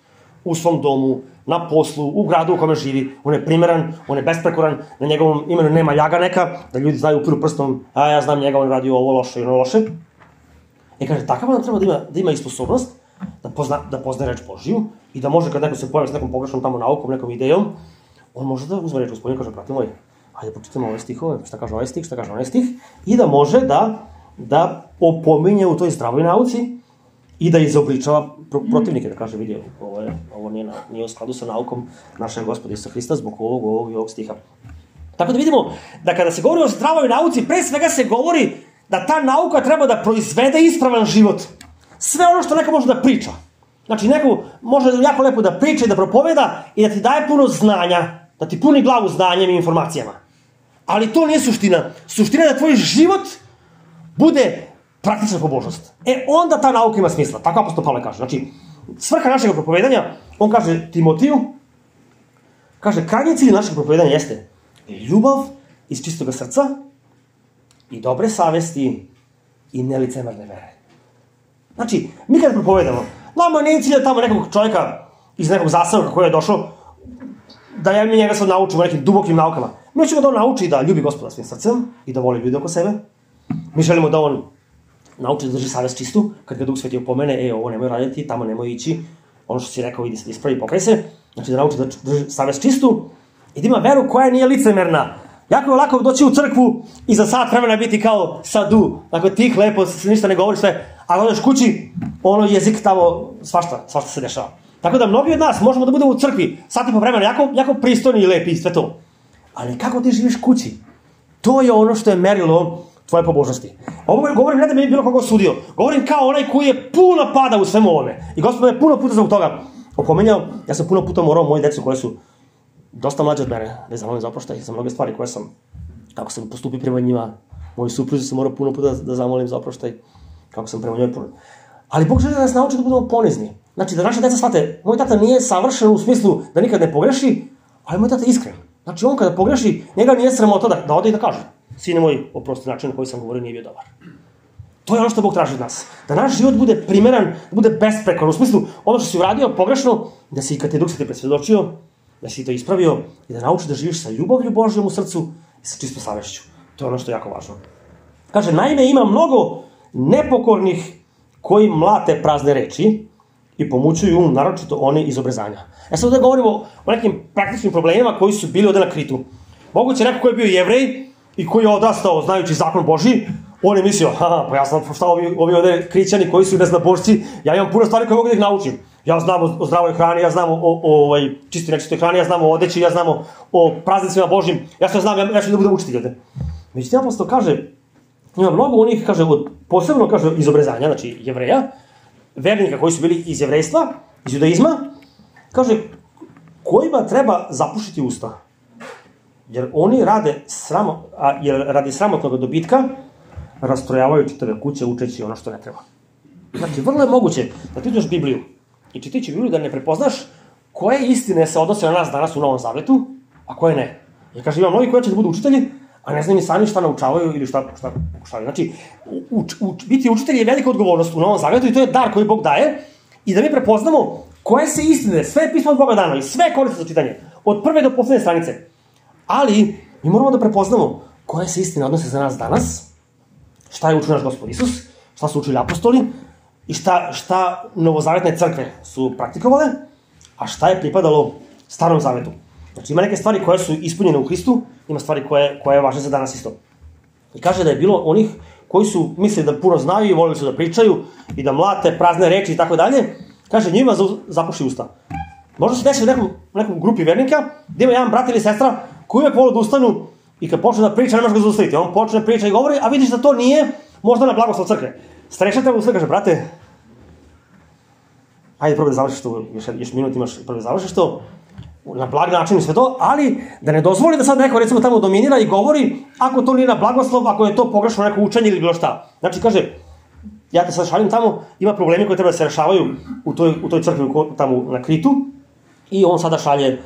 S1: u svom domu, na poslu, u gradu u kome živi, on je primeran, on je besprekoran, na njegovom imenu nema ljaga neka, da ljudi znaju upiru prstom, a ja znam njega, on radi ovo loše i ono loše. I kaže, takav nam treba da ima i sposobnost da poznaje reč Božiju i da može, kad neko se pojavi s nekom pogrešnom tamo naukom, nekom idejom, on može da uzme reč Gospodinu i kaže, brate moj, hajde počitamo ove stihove, šta kaže ovaj stih, šta kaže onaj stih, i da može da opominje u toj zdravoj nauci i da izobličava protivnike, da kaže, vidi, ovo nije u skladu sa naukom našeg Gospoda Isusa Hrista zbog ovog i ovog stiha. Tako da vidimo da kada se govori o zdravoj nauci, pre svega se govori da ta nauka treba da proizvede ispravan život. Sve ono što neko može da priča. Znači, neko može jako lepo da priča i da propoveda i da ti daje puno znanja, da ti puni glavu znanjem i informacijama. Ali to nije suština. Suština je da tvoj život bude praktična pobožnost. Onda ta nauka ima smisla. Tako apostol Pavle kaže. Znači, svrha našeg propovedanja, on kaže Timotiju, kaže, krajnji cilj našeg propovedanja jeste ljubav iz čistog srca i dobre savesti i nelicemerne vere. Znači, mi kada propovedamo, nama nije cilj da tamo nekog čovjeka iz nekog zaseoka koji je došao, da ja mi njega sad naučimo nekim dubokim naukama. Mi ćemo da on nauči da ljubi Gospoda svim srcem i da voli ljude oko sebe. Mi želimo da on nauči da drži savest čistu, kad ga Duh Sveti opomene, ovo nemoj raditi, tamo nemoj ići, ono što si rekao, idi se da ispravi, pokaj se. Znači da nauči da drži savest čistu i da ima veru koja nije licemerna. Jako je lako doći u crkvu i za sat vremena biti kao sadu, dakle tih, lepo, se ništa ne govori sve, a kada odeš kući, ono jezik tamo, svašta se dešava. Tako da mnogi od nas možemo da budemo u crkvi sat i po vremena, jako pristojni i lepi i sve to. Ali kako ti živiš kući? To je ono što je merilo tvoje pobožnosti. Ovo govorim ne da mi je bilo koga osudio, govorim kao onaj koji je puno pada u svemu ovome. I Gospod me puno puta zbog toga opomenjao, ja sam puno puta morao moji decu koje su dosta mlađe od mene, da zamolim za oproštaj za mnoge stvari koje sam, kako sam postupio prema njima, moji supruzi sam morao puno puta da zamolim za oproštaj, kako sam prema njoj puno. Ali Bog želi da nas nauči da budemo ponizni. Znači da naše deca shvate, moj tata nije savršen u smislu da nikad ne pogreši, ali moj tata je iskren. Znači on kada pogreši, njega nije sramota da ode i da kaže, sine moj, oprosti, način na koji sam govorio nije bio dobar. To je ono što Bog traži od nas. Da naš život bude primeran, da bude besprekoran, u smislu ono što si uradio pogrešno, da si kad te Duh Sveti presvedočio, da si to ispravio i da nauči da živiš sa ljubavlju Božjom u srcu i sa čistom savešću. To je ono što je jako važno. Kaže, naime ima mnogo nepokornih koji mlate prazne reči i pomućuju naročito oni iz obrezanja. Sad ovdje govorimo o nekim praktičnim problemima koji su bili ovdje na Kritu. Moguće neko koji je bio Jevrej i koji je odrastao znajući zakon Božji, on je mislio, pa ja znam šta ovi ovdje Krićani koji su neznabošci, ja imam puno stvari koje mogu da ih naučim. Ja znam o zdravoj hrani, ja znam o čistoj nečistoj hrani, ja znam o odeći, ja znam o praznicima Božjim, ja što znam, ja ću da budem učitelj ovdje. Međutim, apostol kaže, ima mnogo onih, kaže, posebno kaže iz obrezanja, znači Jevreja, vernika koji su bili iz jevrejstva, iz judaizma, kaže, kojima treba zapušiti usta. Jer oni radi sramotnog dobitka rastrojavaju čitave kuće učeći ono što ne treba. Znači, vrlo je moguće da ti ideš Bibliju i čitajući Bibliju da ne prepoznaš koje istine se odnose na nas danas u Novom Zavetu, a koje ne. Jer kaže, ima mnogi koji će da budu učitelji, a ne znaju ni sami šta naučavaju ili šta pokušavaju. Znači, biti učitelj je velika odgovornost u Novom Zavetu i to je dar koji Bog daje i da mi prepoznamo koje se istine, sve je pismo od Boga dano i sve koriste za čitanje, od prve do poslednje stranice. Ali, mi moramo da prepoznamo koje se istine odnose za nas danas, šta je učio naš Gospod Isus, šta su učili apostoli i šta novozavetne crkve su praktikovale, a šta je pripadalo Starom Zavetu. Znači ima neke stvari koje su ispunjene u Hristu, ima stvari koje važe za danas isto. I kaže da je bilo onih koji su mislili da puno znaju i volili su da pričaju i da mlate prazne reči i tako dalje, kaže njima zapuši usta. Možda se desi u nekom grupi vernika gdje ima jedan brat ili sestra koji uvijek vole da ustanu i kad počne da priča ne može ga zaustaviti. On počne priča i govori, a vidiš da to nije možda na blagoslov crkve. Starešina treba ustati, kaže, brate, ajde probaj da završiš to, još minut imaš, probaj da završiš to, na blag način i sve to, ali da ne dozvoli da sad neko recimo tamo dominira i govori ako to nije na blagoslov, ako je to pogrešno neko učenje ili bilo šta. Znači kaže, ja te sad šalim tamo, ima problemi koji treba da se rešavaju u toj crkvi tamo na Kritu i on sada šalje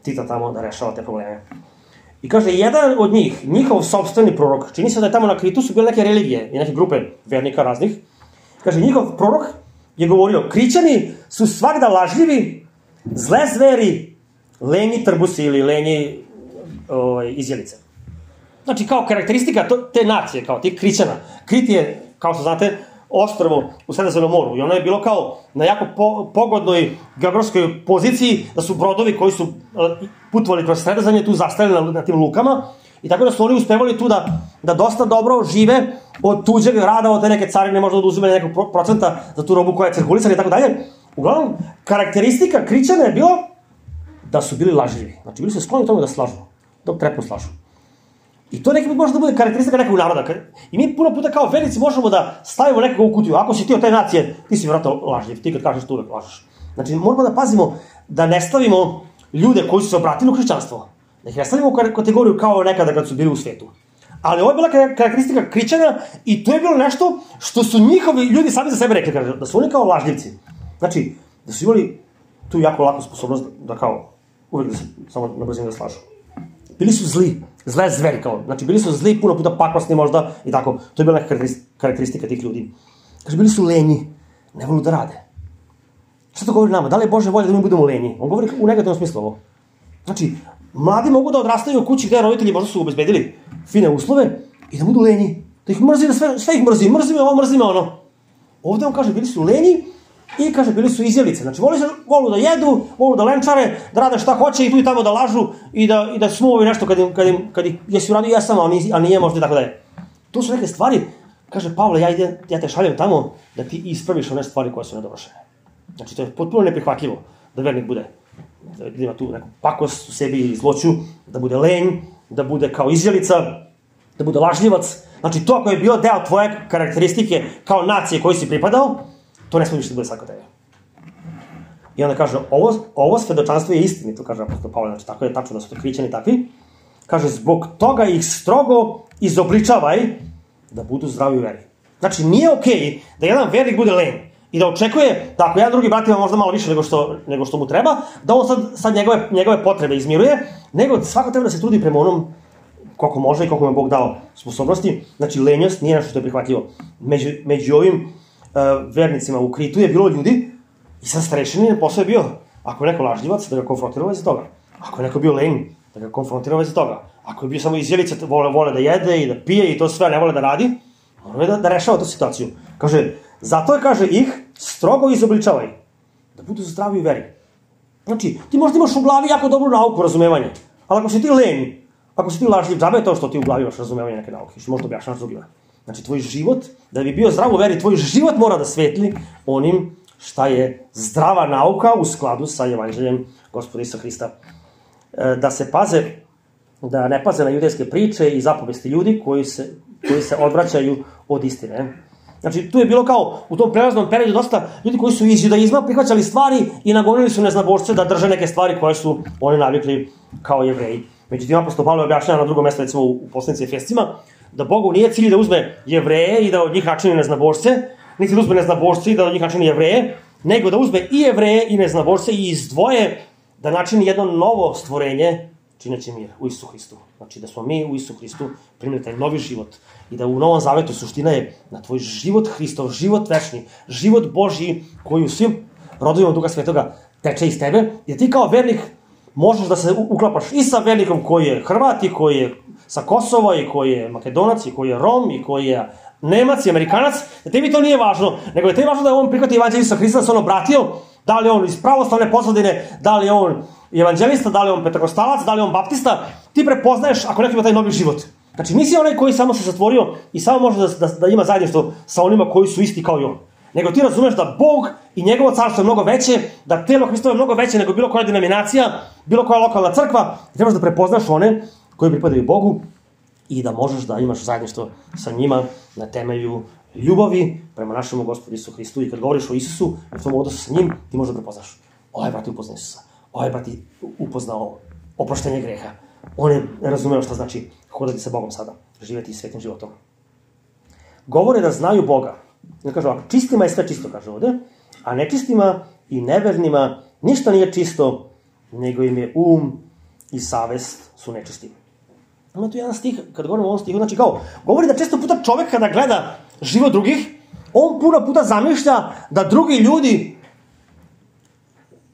S1: Tita tamo da rešava te probleme. I kaže, jedan od njih, njihov sopstveni prorok, čini se da je tamo na Kritu su bile neke religije i neke grupe vernika raznih, kaže, njihov prorok je govorio, Krićani su svakda lažljivi, zle zveri, lenji trbusi ili lenji izjelice. Znači, kao karakteristika te nacije, kao tih Krićana. Krit je, kao što znate, ostrvo u Sredozemnom moru i ono je bilo kao na jako pogodnoj geografskoj poziciji, da su brodovi koji su putovali kroz Sredozemlje tu zastajali na tim lukama i tako da su oni uspevali tu da dosta dobro žive od tuđeg rada, od te neke carine, možda od uzimanja nekog procenta za tu robu koja je cirkulisana i tako dalje. Uglavnom, karakteristika Krićana je bilo da su bili lažljivi. Znači, bili su skloni tome da slažu, da trepnu slažu. I to neki put može da bude karakteristika nekog naroda. I mi puno puta kao vernici možemo da stavimo nekoga u kutiju. Ako si ti od te nacije, ti si vjerojatno lažljiv. Ti kad kažeš to uvek lažeš. Znači, moramo da pazimo da ne stavimo ljude koji su se obratili u hrišćanstvo. Da ih ne stavimo u kategoriju kao nekada kad su bili u svetu. Ali ovo je bila karakteristika Krićana i to je bilo nešto što su njihovi ljudi sami za sebe rekli, da su oni kao lažljivci. Znači, da su imali tu jako laku sposobnost da kao uvek da se samo na brzinu da slažu. Bili su zli, zle zveri kao, znači bili su zli, puno puta pakosni možda i tako. To je bila neka karakteristika tih ljudi. Kaže, bili su lenji, ne volu da rade. Šta to govori nama? Da li je Bože volja da mi budemo lenji? On govori u negativnom smislu ovo. Znači, mladi mogu da odrastaju u kući gde roditelji možda su obezbedili fine uslove i da budu lenji. Da ih mrzi, da sve ih mrzi. Mrzi me ovo, mrzi me ono. Ovde on kaže, bili su lenji i kaže, bili su izjelice. Znači, volu da jedu, volu da lenčare, da rade šta hoće i tu i tamo da lažu i da smuovi nešto kad ih jesi uradio jesam, a nije možda i tako dalje. To su neke stvari, kaže Pavle, ja te šaljem tamo da ti ispraviš one stvari koje su nedovršene. Znači, to je potpuno neprihvatljivo da vernik bude, da ima tu neku pakost u sebi i zloću, da bude lenj, da bude kao izjelica, da bude lažljivac. Znači, to ako je bio deo tvoje karakteristike kao nacije koji si pripadao, to ne smije više da bude svako tebe. I onda kaže, ovo svedočanstvo je istinito, kaže apostol Pavle, znači tako je tačno da su to Krićani takvi. Kaže, zbog toga ih strogo izobličavaj da budu zdravi u veri. Znači, nije okej da jedan vernik bude lenj i da očekuje da ako jedan drugi brat ima možda malo više nego što mu treba, da on sad njegove potrebe izmiruje, nego svako treba da se trudi prema onom koliko može i koliko mu je Bog dao sposobnosti. Znači, lenjost nije nešto što je prihvatljivo. Među ovim vernicima u Kritu je bilo ljudi i sad starešinin posao je bio, ako je neko lažljivac, da ga konfrontira u vezi toga. Ako je neko bio lenj, da ga konfrontira u vezi toga. Ako je bio samo izjelica, vole da jede i da pije i to sve, ne vole da radi, mora je da rešava tu situaciju. Kaže, zato je, kaže, ih strogo izobličavaj, da budu zdravi u veri. Znači, ti možda imaš u glavi jako dobru nauku, razumevanje, ali ako si ti lenj, ako si ti lažljiv, džabe je to što ti u glavi imaš razumevanje neke nauke, što možda objašnjavaš drugima. Znači, tvoj život, da bi bio zdrav u veri, tvoj život mora da svetli onim šta je zdrava nauka u skladu sa evanđeljem Gospoda Isusa Hrista. Da ne paze na judejske priče i zapovesti ljudi koji se odvraćaju od istine. Znači, tu je bilo kao u tom prelaznom periodu dosta ljudi koji su iz judaizma prihvaćali stvari i nagonili su neznabošce da drže neke stvari koje su oni navikli kao Jevreji. Međutim, apostol Pavle objašnjava na drugom mjestu, recimo u poslanici Efescima, da Bogu nije cilj da uzme Jevreje i da od njih načini neznabošce, niti da uzme neznabošce i da od njih načini Jevreje, nego da uzme i Jevreje i neznabošce i izdvoje da načini jedno novo stvorenje, čineći mir u Isusu Hristu. Znači da smo mi u Isusu Hristu primili taj novi život i da u Novom Zavetu suština je na tvoj život Hristov, život večni, život Božji koji u svim rodovima Duha Svetoga teče iz tebe, jer ti kao vernik možeš da se uklapaš i sa vernikom koji je Hrvat i koji je sa Kosova i koji je Makedonac i koji je Rom i koji je Nemac i Amerikanac, da tebi to nije važno, nego je tebi važno da je on prihvati evanđelje Isusa Hrista, da se on obratio, da li je on iz pravoslavne pozadine, da li je on evanđelista, da li je on pentekostalac, da li je on baptista, ti prepoznaješ ako neko ima taj novi život. Znači nisi onaj koji samo se zatvorio i samo može da ima zajedništvo sa onima koji su isti kao i on. Nego ti razumeš da Bog i njegovo carstvo je mnogo veće, da telo Hristovo je mnogo veće nego bilo koja denominacija, bilo koja lokalna crkva, i trebaš da prepoznaš one koji pripadaju Bogu i da možeš da imaš zajedništvo sa njima na temelju ljubavi prema našemu Gospodu Isusu Hristu. I kad govoriš o Isusu, u tom odnosu sa njim, ti možda prepoznaš. Ovaj brat je upoznao Isusa. Ovaj brat je upoznao oproštenje greha. On je razumeo šta znači hodati sa Bogom sada, živjeti svetim životom. Govore da znaju Boga. Ja kažu, čistima je sve čisto, kaže ovde, a nečistima i nevernima ništa nije čisto, nego im je i savest su nečisti. Ima tu jedan stih, kad govorimo o ovom stihu, znači kao, govori da često puta čovek kada gleda život drugih, on puno puta zamišlja da drugi ljudi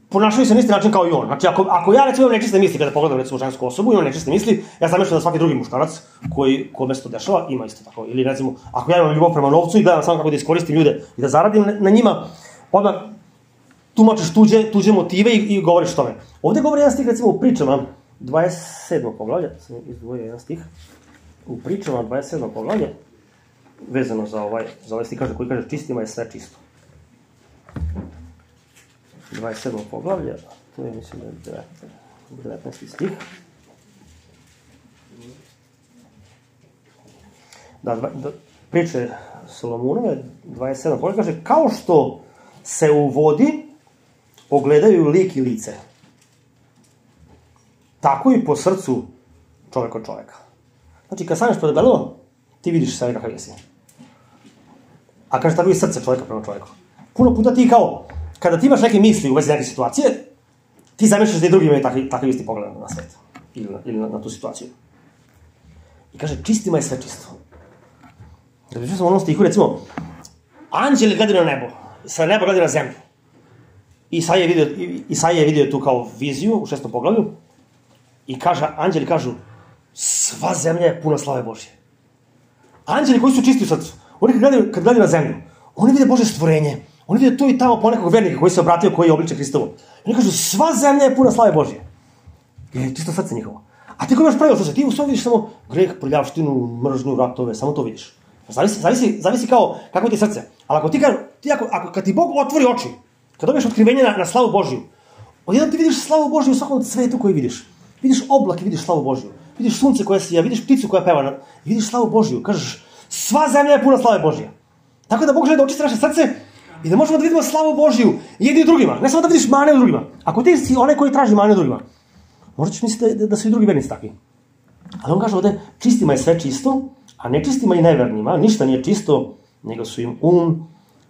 S1: ponašaju se na isti način kao i on. Znači, ako ja recimo imam nečiste misli, kada pogledam recimo žensku osobu, imam nečiste misli, ja zamišljam da svaki drugi muškarac kome se to dešava, ima isto tako. Ili recimo, ako ja imam ljubav prema novcu i gledam samo kako da iskoristim ljude i da zaradim na njima, odmah tumačiš tuđe motive i govoriš tome. Ovde govori jedan stih, recimo u pričama, 27. poglavlje, sam izdvojio jedan stih, u pričama 27. poglavlje, vezano za ovaj stih koji kaže čistima je sve čisto. 27. poglavlje, to je mislim da je 19. stih. Da, priče Solomunove, 27. poglavlje, kaže, kao što se u vodi ogledaju lik i lice, tako i po srcu čovek od čoveka. Znači, kad staneš pred ogledalom, ti vidiš sebe kakav jesi. A kaže, tako i srce čoveka prema čoveku. Puno puta ti kao, kada ti imaš neke misli u vezi neke situacije, ti zamišljaš da i drugi imaju takav isti pogled na svet. Ili na tu situaciju. I kaže, čistima je sve čisto. Da pričao sam u onom stihu, recimo, anđeli gledaju na nebo, sa neba gledaju na zemlju. Isaija je vidio tu kao viziju u 6. poglavlju i anđeli kažu, sva zemlja je puna slave Božje. Anđeli koji su čisti u srcu, oni kad gledaju na zemlju, oni vide Božje stvorenje, oni vide tu i tamo ponekog vernika koji se obratio, koji je obliče Hristovo. Oni kažu, sva zemlja je puna slave Božje. Je čisto srce njihovo. A ti koji imaš pravilo srce, ti u svom vidiš samo greh, prljavštinu, mržnju, ratove, samo to vidiš. Zavisi kao kako ti je srce. Ali kad ti Bog otvori oči, kad dobiješ otkrivenje na slavu Božju, odjednom ti vidiš slavu Božju u svakom cvetu koji vidiš. Vidiš oblak i vidiš slavu Božju. Vidiš sunce koje sija, vidiš pticu koja peva i vidiš slavu Božju. Kažeš, sva zemlja je puna slave Božje. Tako da Bog želi da očisti naše srce i da možemo da vidimo slavu Božju jedni u drugima. Ne samo da vidiš mane u drugima. Ako ti si onaj koji traži mane u drugima, možda ćeš misliti da su i drugi vernici takvi. Ali on kaže ovde, čistima je sve čisto, a nečistima i nevernima ništa nije čisto, nego su im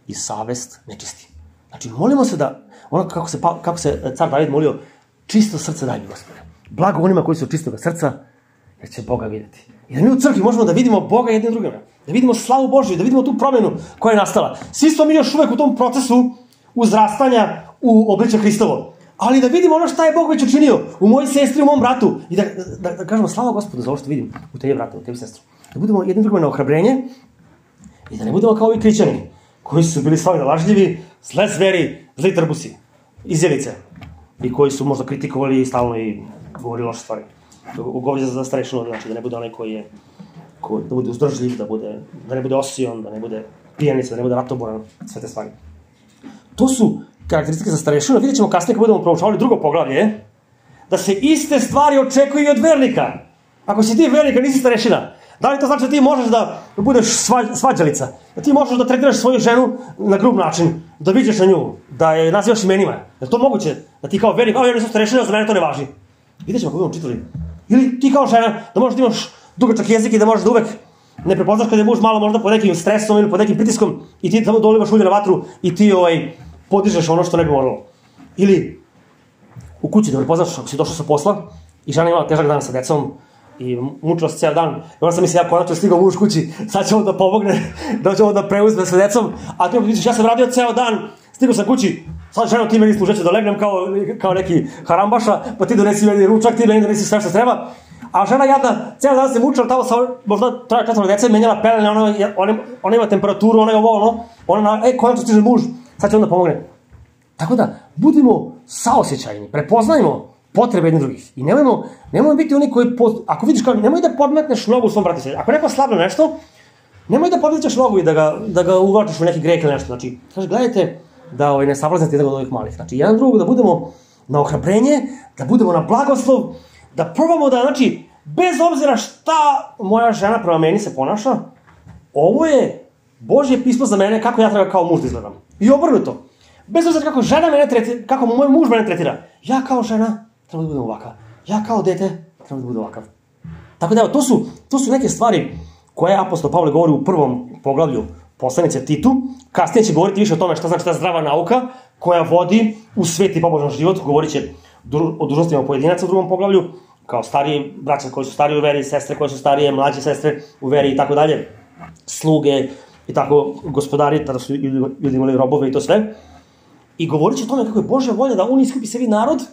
S1: i savest nečisti. Znači, molimo se da, ono kako se car David molio, čisto srce daj mi, Gospode. Blago onima koji su čistog srca, jer će Boga vidjeti. I da mi u crkvi možemo da vidimo Boga jednim drugima, da vidimo slavu Božju, da vidimo tu promjenu koja je nastala. Svi smo mi još uvek u tom procesu uzrastanja u obliče Hristovo. Ali da vidimo ono šta je Bog već učinio u mojoj sestri, u mom bratu. I da kažemo, slava Gospodu za ovo što vidim u tebi bratu, u tebi sestru. Da budemo jednim drugima na ohrabrenje i da ne budemo kao ovi kričani koji su bili slavni lažljivi, zle zveri, zli trbusi, izjelice. I koji su možda kritikovali stalno i govorili loše stvari. Govori za starešinu, znači da ne bude onaj da bude uzdržljiv, da ne bude osion, da ne bude pijanica, da ne bude ratoboran, sve te stvari. To su karakteristike za starešinu. Vidjet ćemo kasnije kad budemo proučavali drugo poglavlje, da se iste stvari očekuju i od vernika. Ako si ti vernik, nisi starešina, da li to znači da ti možeš da budeš svađalica, da ti možeš da tretiraš svoju ženu na grub način, da viđeš na nju, da je nazivaš imenima? Je to moguće? Da ti kao vernik, ja nisam starešina, za mene to ne važi. Vidjet ćemo kako budemo čitali. Ili ti kao žena, da možeš da imaš dugačak jezik i da možeš da uvek ne prepoznaš kada je muž malo možda pod nekim stresom ili pod nekim pritiskom i ti tamo dolivaš ulje na vatru i ti podižeš ono što ne bi moralo. Ili u kući da prepoznaš ako si došao sa posla i žena imala težak dan sa decom i mučila se cijel dan. I onda sam mislio, ja konačno stigao muž kući, sad će on da pomogne, da će on da preuzme sa decom, a ti misliš, ja sam radio cijel dan, stigao sam kući, sad ženo ti meni služeće da legnem kao neki harambaša, pa ti donesi meni ručak, ti meni donesi sve što treba. A žena jadna, cijel dan se mučila tamo sa možda 3-4 dece, menjala pelene, ona ima temperaturu, ona je ona, konačno stiže muž, sad će on da pomogne. Tako da, budimo saosećajni, prepoznajmo potrebe jednih drugih. I nemojmo biti oni koji, ako vidiš kao, nemoj da podmetneš nogu u svom bratu. Ako neko slabno nešto, nemoj da podmećeš nogu i da ga uvlačiš u neki greh ili nešto. Znači, kaže, gledajte da ne savlaznete jednog od ovih malih. Znači, jedan drugog da budemo na ohrabrenje, da budemo na blagoslov, da probamo da, znači, bez obzira šta moja žena prema meni se ponaša, ovo je Božje pismo za mene kako ja treba kao muž da izgledam. I obrnuto. Bez obzira kako žena mene tretira, kako moj muž mene tretira, ja kao žena treba da budem ovakav. Ja kao dete treba da budem ovakav. Tako da evo, to su neke stvari koje apostol Pavle govori u prvom poglavlju poslanice Titu. Kasnije će govoriti više o tome šta znači ta zdrava nauka koja vodi u sveti pobožan život. Govorit će o dužnostima pojedinaca u drugom poglavlju, kao stariji braća koji su stariji u veri, sestre koje su starije, mlađe sestre u veri i tako dalje, sluge i tako gospodari, tada su ljudi imali robove i to sve. I govorit će o tome kako je Božja volja da on iskupi sebi narod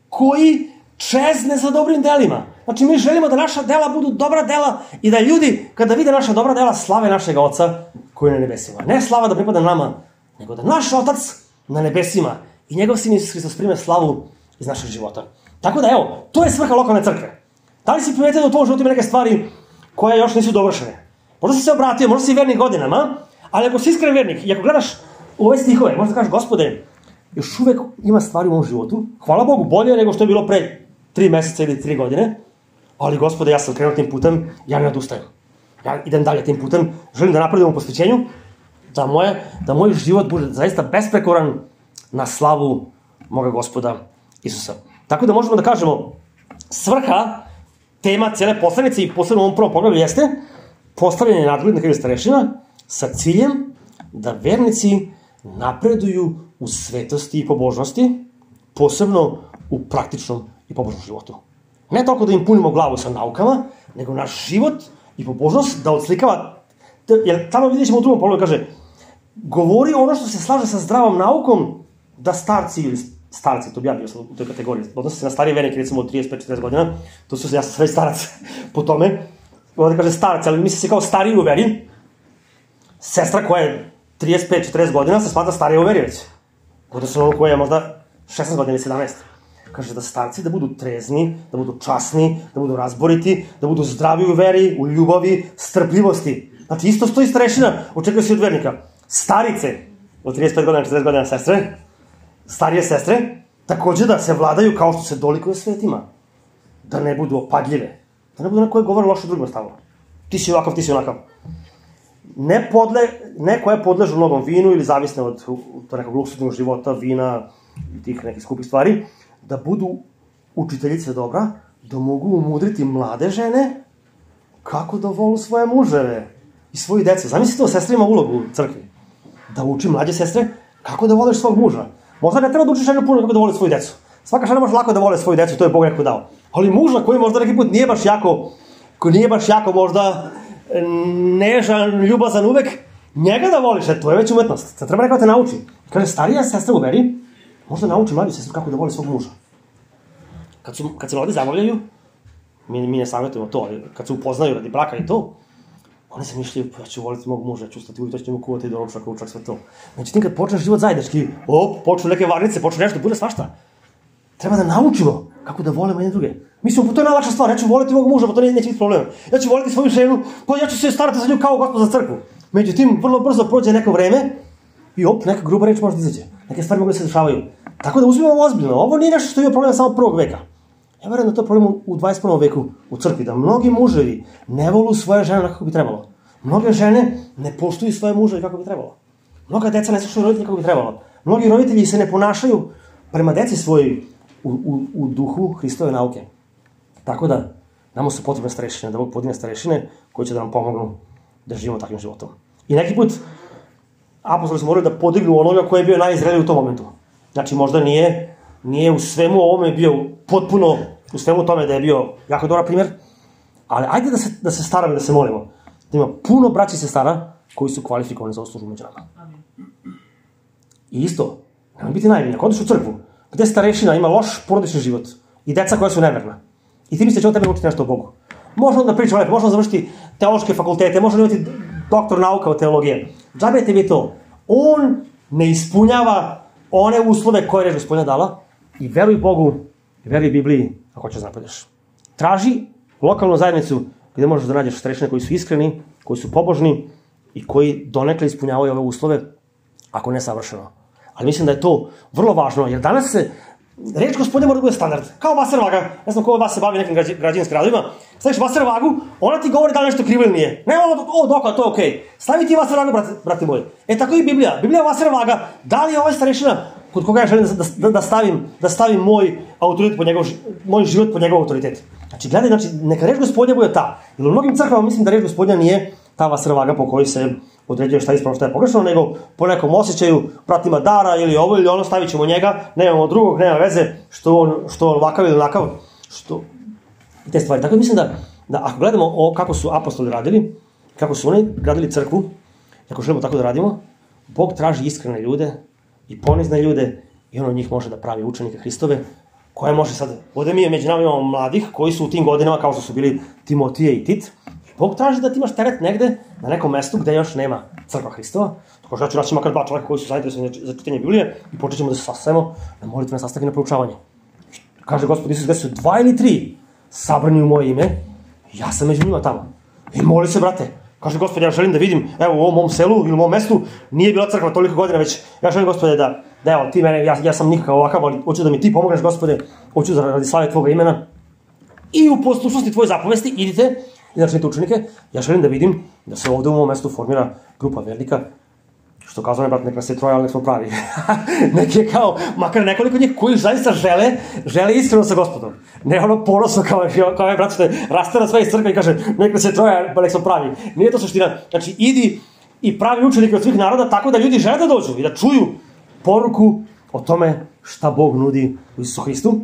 S1: koji čezne za dobrim delima. Znači, mi želimo da naša dela budu dobra dela i da ljudi, kada vide naša dobra dela, slave našeg Oca koji je na nebesima. Ne slava da pripada nama, nego da naš Otac na nebesima i njegov Sin Isus Hristos prime slavu iz našeg života. Tako da, evo, to je svrha lokalne crkve. Da li si primetio da u tvojom životu ima neke stvari koje još nisu dovršene? Možda si se obratio, možda si vernik godinama, ali ako si iskren vernik i ako gledaš u ove stihove, možda kažeš, Gospode, još uvek ima stvari u mom životu, hvala Bogu, bolje nego što je bilo pre 3 meseca ili 3 godine, ali Gospode, ja sam krenuo tim putem, ja ne odustajem. Ja idem dalje tim putem, želim da napredujem u posvećenju, da moj život bude zaista besprekoran na slavu moga Gospoda Isusa. Tako da možemo da kažemo, svrha, tema cijele poslanice i posebno u ovom prvom poglavlju jeste postavljanje nadglednika ili starešina sa ciljem da vernici napreduju u svetosti i pobožnosti, posebno u praktičnom i pobožnom životu. Ne toliko da im punimo glavu sa naukama, nego naš život i pobožnost da odslikava, jer tamo vidjet ćemo u drugom poglavlju, kaže, govori ono što se slaže sa zdravom naukom, da starci ili starci, to bi ja bio u toj kategoriji, odnosi se na starije vernike, recimo od 35-40 godina, ja sam sve starac po tome, ovdje kaže starac, ali misli se kao stariji u veri, sestra koja je 35-40 godina se smatra starija u veri već, odnosno ono koja je možda 16 godina ili 17. Kaže da starci da budu trezni, da budu časni, da budu razboriti, da budu zdravi u veri, u ljubavi, strpljivosti. Znači isto stoji starešina, očekuje se od vernika. Starice, od 35 godina, 40 godina sestre, starije sestre, takođe da se vladaju kao što se dolikuje svetima. Da ne budu opadljive. Da ne budu na koje govore loše drugima stavno. Ti si ovakav, ti si onakav. Ne koje podležu mnogom vinu ili zavisne od nekog luksuznog života, vina i tih nekih skupih stvari, da budu učiteljice dobra, da mogu umudriti mlade žene kako da volu svoje muževe i svoji dece. Zamislite, sestra ima ulogu u crkvi. Da uči mlađe sestre kako da voliš svog muža. Možda ne treba da učiš ženu puno kako da voli svoju decu. Svaka žena može lako da vole svoju decu, to je Bog neko dao. Ali muža koji možda neki put nije baš jako možda nežan, ljubazan uvek, njega da voliš, to je već umetnost. Sad treba neko da te nauči. Kaže, starija sestra u veri, možda nauči mlađu sestru kako da voli svog muža. Kad se mladi zabavljaju, mi ne savjetujemo to, ali kad se upoznaju radi braka i to, oni se mišljaju, ja ću voliti mog muža, ja ću ustati uvijek, to ćemo kuvati do ručak, sve to. Međutim, kad počneš život zajednički, počnu neke varnice, počnu nešto, bude svašta. Treba da naučimo kako da volimo jedne druge. Mislimo, to je najlakša stvar, ja ću voliti mog muža, pa to neće biti problema. Ja ću voliti svoju ženu, pa ja ću se starati za nju kao Gospod za crkvu. Međutim, vrlo brzo prođe neko vreme i neka gruba reč može da izađe. Neke stvari mogu da se dešavaju. Tako da uzmimo ovo ozbiljno. Ovo nije nešto što je problem samo prvog veka. Ja verujem da to je problem u 21. veku u crkvi, da mnogi muževi ne volu svoje žene kako bi trebalo. Mnoge žene ne poštuju svoje muževe kako bi trebalo. Mnoga deca ne slušaju roditelji kako bi trebalo. Mnogi roditelji se ne ponašaju prema deci svojoj u duhu Hristove nauke. Tako da, nama su potrebne starešine, da Bog podigne starešine koji će da nam pomognu da živimo takvim životom. I neki put apostoli su morali da podignu onoga koji je bio najzreliji u tom momentu. Znači, možda nije u svemu ovome bio potpuno, u svemu tome da je bio jako dobar primjer, ali ajde da se staramo, da se molimo. Da ima puno braća i sestara koji su kvalifikovani za ovu službu među nama. I isto, nema biti naivni. Ako odeš u crkvu, gde starešina ima loš porodični život i deca koja su neverna, i ti misliš da će on tebe učiti nešto o Bogu. Može on da priča lepo, može on završiti teološke fakultete, može on imati doktor nauka o teologije. Džabe tebi to. On ne ispunjava one uslove koje je Gospodina dala i veruj Bogu, veruj Bibliji ako hoćeš da napreduješ. Traži lokalnu zajednicu gde možeš da nađeš starešine koji su iskreni, koji su pobožni i koji donekle ispunjavaju ove uslove, ako ne savršeno. Ali mislim da je to vrlo važno, jer danas se reč Gospodnja mora da bude standard. Kao vaser vaga, ne znam ko od vas se bavi nekim građevinskim radovima, staviš vaser vagu, ona ti govori da li nešto krivo ili nije. Ne, dokle, to je okej. Stavi ti vaser vagu, brate moji. Tako i Biblija. Biblija je vaser vaga. Da li je ovaj starešina kod koga ja želim da stavim moj autoritet moj život pod njegov autoritet. Znači, gledaj, neka reč Gospodnja bude ta. Jer u mnogim crkvama mislim da reč Gospodnja nije ta vaser vaga po kojoj se određuje šta je ispravno, šta je pogrešno, nego po nekom osjećaju, pratima dara ili ovo ili ono, stavit ćemo njega, nemamo drugog, nema veze, što ovakav ili onakav, i te stvari. Tako mislim da ako gledamo kako su apostoli radili, kako su oni gradili crkvu, ako želimo tako da radimo, Bog traži iskrene ljude i ponizne ljude i on od njih može da pravi učenike Hristove, koje može sad, ovdje mi među nama imamo mladih koji su u tim godinama, kao što su bili Timotije i Tit. Bog traži da ti imaš teret negde, na nekom mestu gde još nema crkva Hristova. Tako što ja ću naći makar 2 čoveka koji su zainteresovani za čitanje Biblije i počet ćemo da se sastajemo na molitvene sastanke na proučavanje. Kaže Gospod Isus, gde su 2 ili 3 sabrani u moje ime, ja sam među njima tamo. I moli se, brate. Kaže Gospod, ja želim da vidim, evo u ovom mom selu ili u mom mestu, nije bila crkva toliko godina već, ja želim, Gospode, da evo, ti mene, ja sam nikakav ovakav, ali hoću da mi ti pomogneš, Gospode, hoću da radi slave tvoga imena i u poslušnosti tvoje zapovesti idite i načinite učenike. Ja želim da vidim da se ovde u mom mestu formira grupa vernika, što kazao ne, brat, nek nas je 3, ali nek smo pravi. Nek je kao, makar nekoliko njih koji zaista žele iskreno sa Gospodom. Ne ono ponosno kao je brat što je rastera sve iz crkve i kaže nek nas je 3, pa nek smo pravi. Nije to suština. Znači, idi i pravi učenike od svih naroda tako da ljudi žele da dođu i da čuju poruku o tome šta Bog nudi u Isusu Hristu.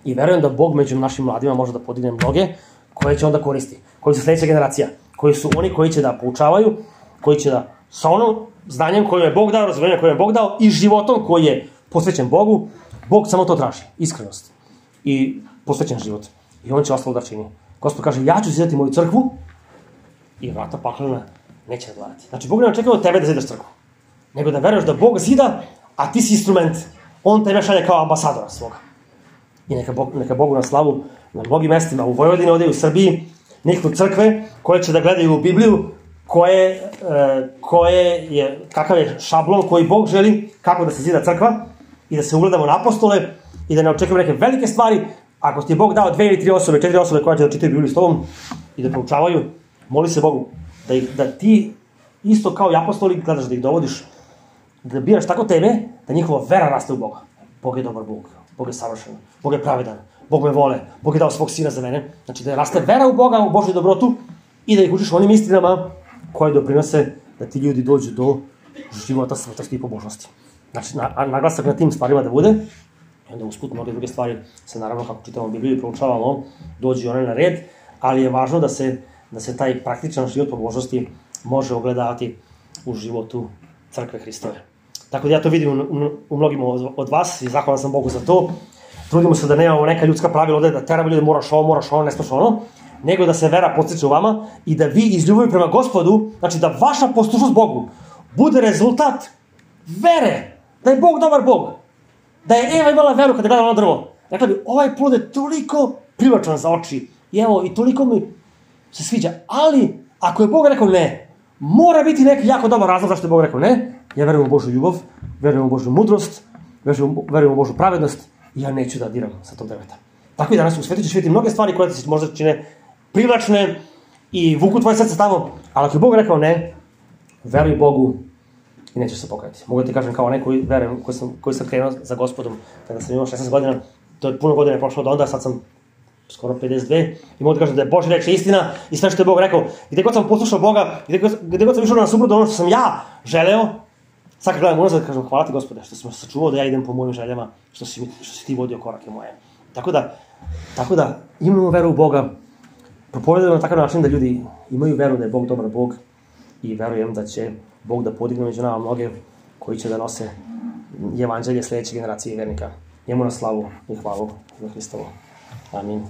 S1: I verujem da Bog među našim mladima može da podigne mnoge koje će onda koristi, koji su sledeća generacija, koji su oni koji će da poučavaju, koji će da sa onom znanjem koje je Bog dao, razumjenjem koje je Bog dao i životom koji je posvećen Bogu, Bog samo to traži, iskrenost i posvećen život. I on će ostalo da čini. Gospod kaže, ja ću zidati moju crkvu i vrata paklena neće nadvladati. Znači, Bog ne očekuje od tebe da zidaš crkvu, nego da veruješ da Bog zida, a ti si instrument. On tebe šalje kao ambasadora svoga. I neka Bogu na slavu na mnogim mestima, u Vojvodini, ovdje u Srbiji, nekako crkve koje će da gledaju u Bibliju, kakav je šablon koji Bog želi, kako da se zida crkva i da se ugledamo na apostole i da ne očekujemo neke velike stvari. Ako ti je Bog dao 2 ili 3 osobe, 4 osobe koje će da čitaju Bibliju s tobom i da proučavaju, moli se Bogu da ti isto kao i apostoli gledaš da ih dovodiš, da biraš tako teme da njihova vera raste u Boga. Bog je dobar Bog, Bog je savršen, Bog je pravedan, Bog me vole, Bog je dao svog sina za mene. Znači da raste vera u Boga, u Božju dobrotu i da ih učiš onim istinama koje doprinose da ti ljudi dođu do života svetosti i pobožnosti. Znači, naglasak na tim stvarima da bude, i onda usput mnoge druge stvari se naravno, kako čitamo Bibliju i proučavamo, dođu one na red, ali je važno da se taj praktičan život pobožnosti može ogledavati u životu crkve Hristove. Tako da ja to vidim u mnogim od vas i zahvalan sam Bogu za to. Trudimo se da nemamo neka ljudska pravila ovde, da teramo ljude moraš ovo, ne smeš ono, nego da se vera podstiče u vama i da vi iz ljubavi prema Gospodu, znači da vaša poslušnost Bogu bude rezultat vere, da je Bog dobar Bog, da je Eva imala veru kada je gledala ono drvo. Rekla bi, ovaj plod je toliko privlačan za oči i evo, i toliko mi se sviđa, ali ako je Bog rekao ne, mora biti neki jako dobar razlog zašto je Bog rekao ne. Ja verujem u Božju ljubav, verujem u Božju mudrost, verujem u Božju pravednost i ja neću da diram sa tog drveta. Tako i danas u svetu ćeš vidjeti mnoge stvari koje ti se možda čine privlačne i vuku tvoje srce tamo, ali ako je Bog rekao ne, veruj Bogu i nećeš se pokajati. Mogu da ti kažem kao onaj koji sam krenuo za Gospodom kada sam imao 16 godina, to je puno godina prošlo od onda, sad sam skoro 52 i mogu da kažem da je Božja reč istina i sve što je Bog rekao. Gde god sam poslušao Boga, gde god sam išao na suprotno ono što sam ja želeo, sad kad gledam unazad, kažem hvala ti Gospode što si me sačuvao da ja idem po mojim željama, što si ti vodio korake moje. Tako da imamo veru u Boga, propovedamo na takav način da ljudi imaju veru da je Bog dobar Bog i verujem da će Bog da podigne među nama mnoge koji će da nose evanđelje sledeće generacije vernika. Njemu na slavu i hvalu za Hristovu. Amin.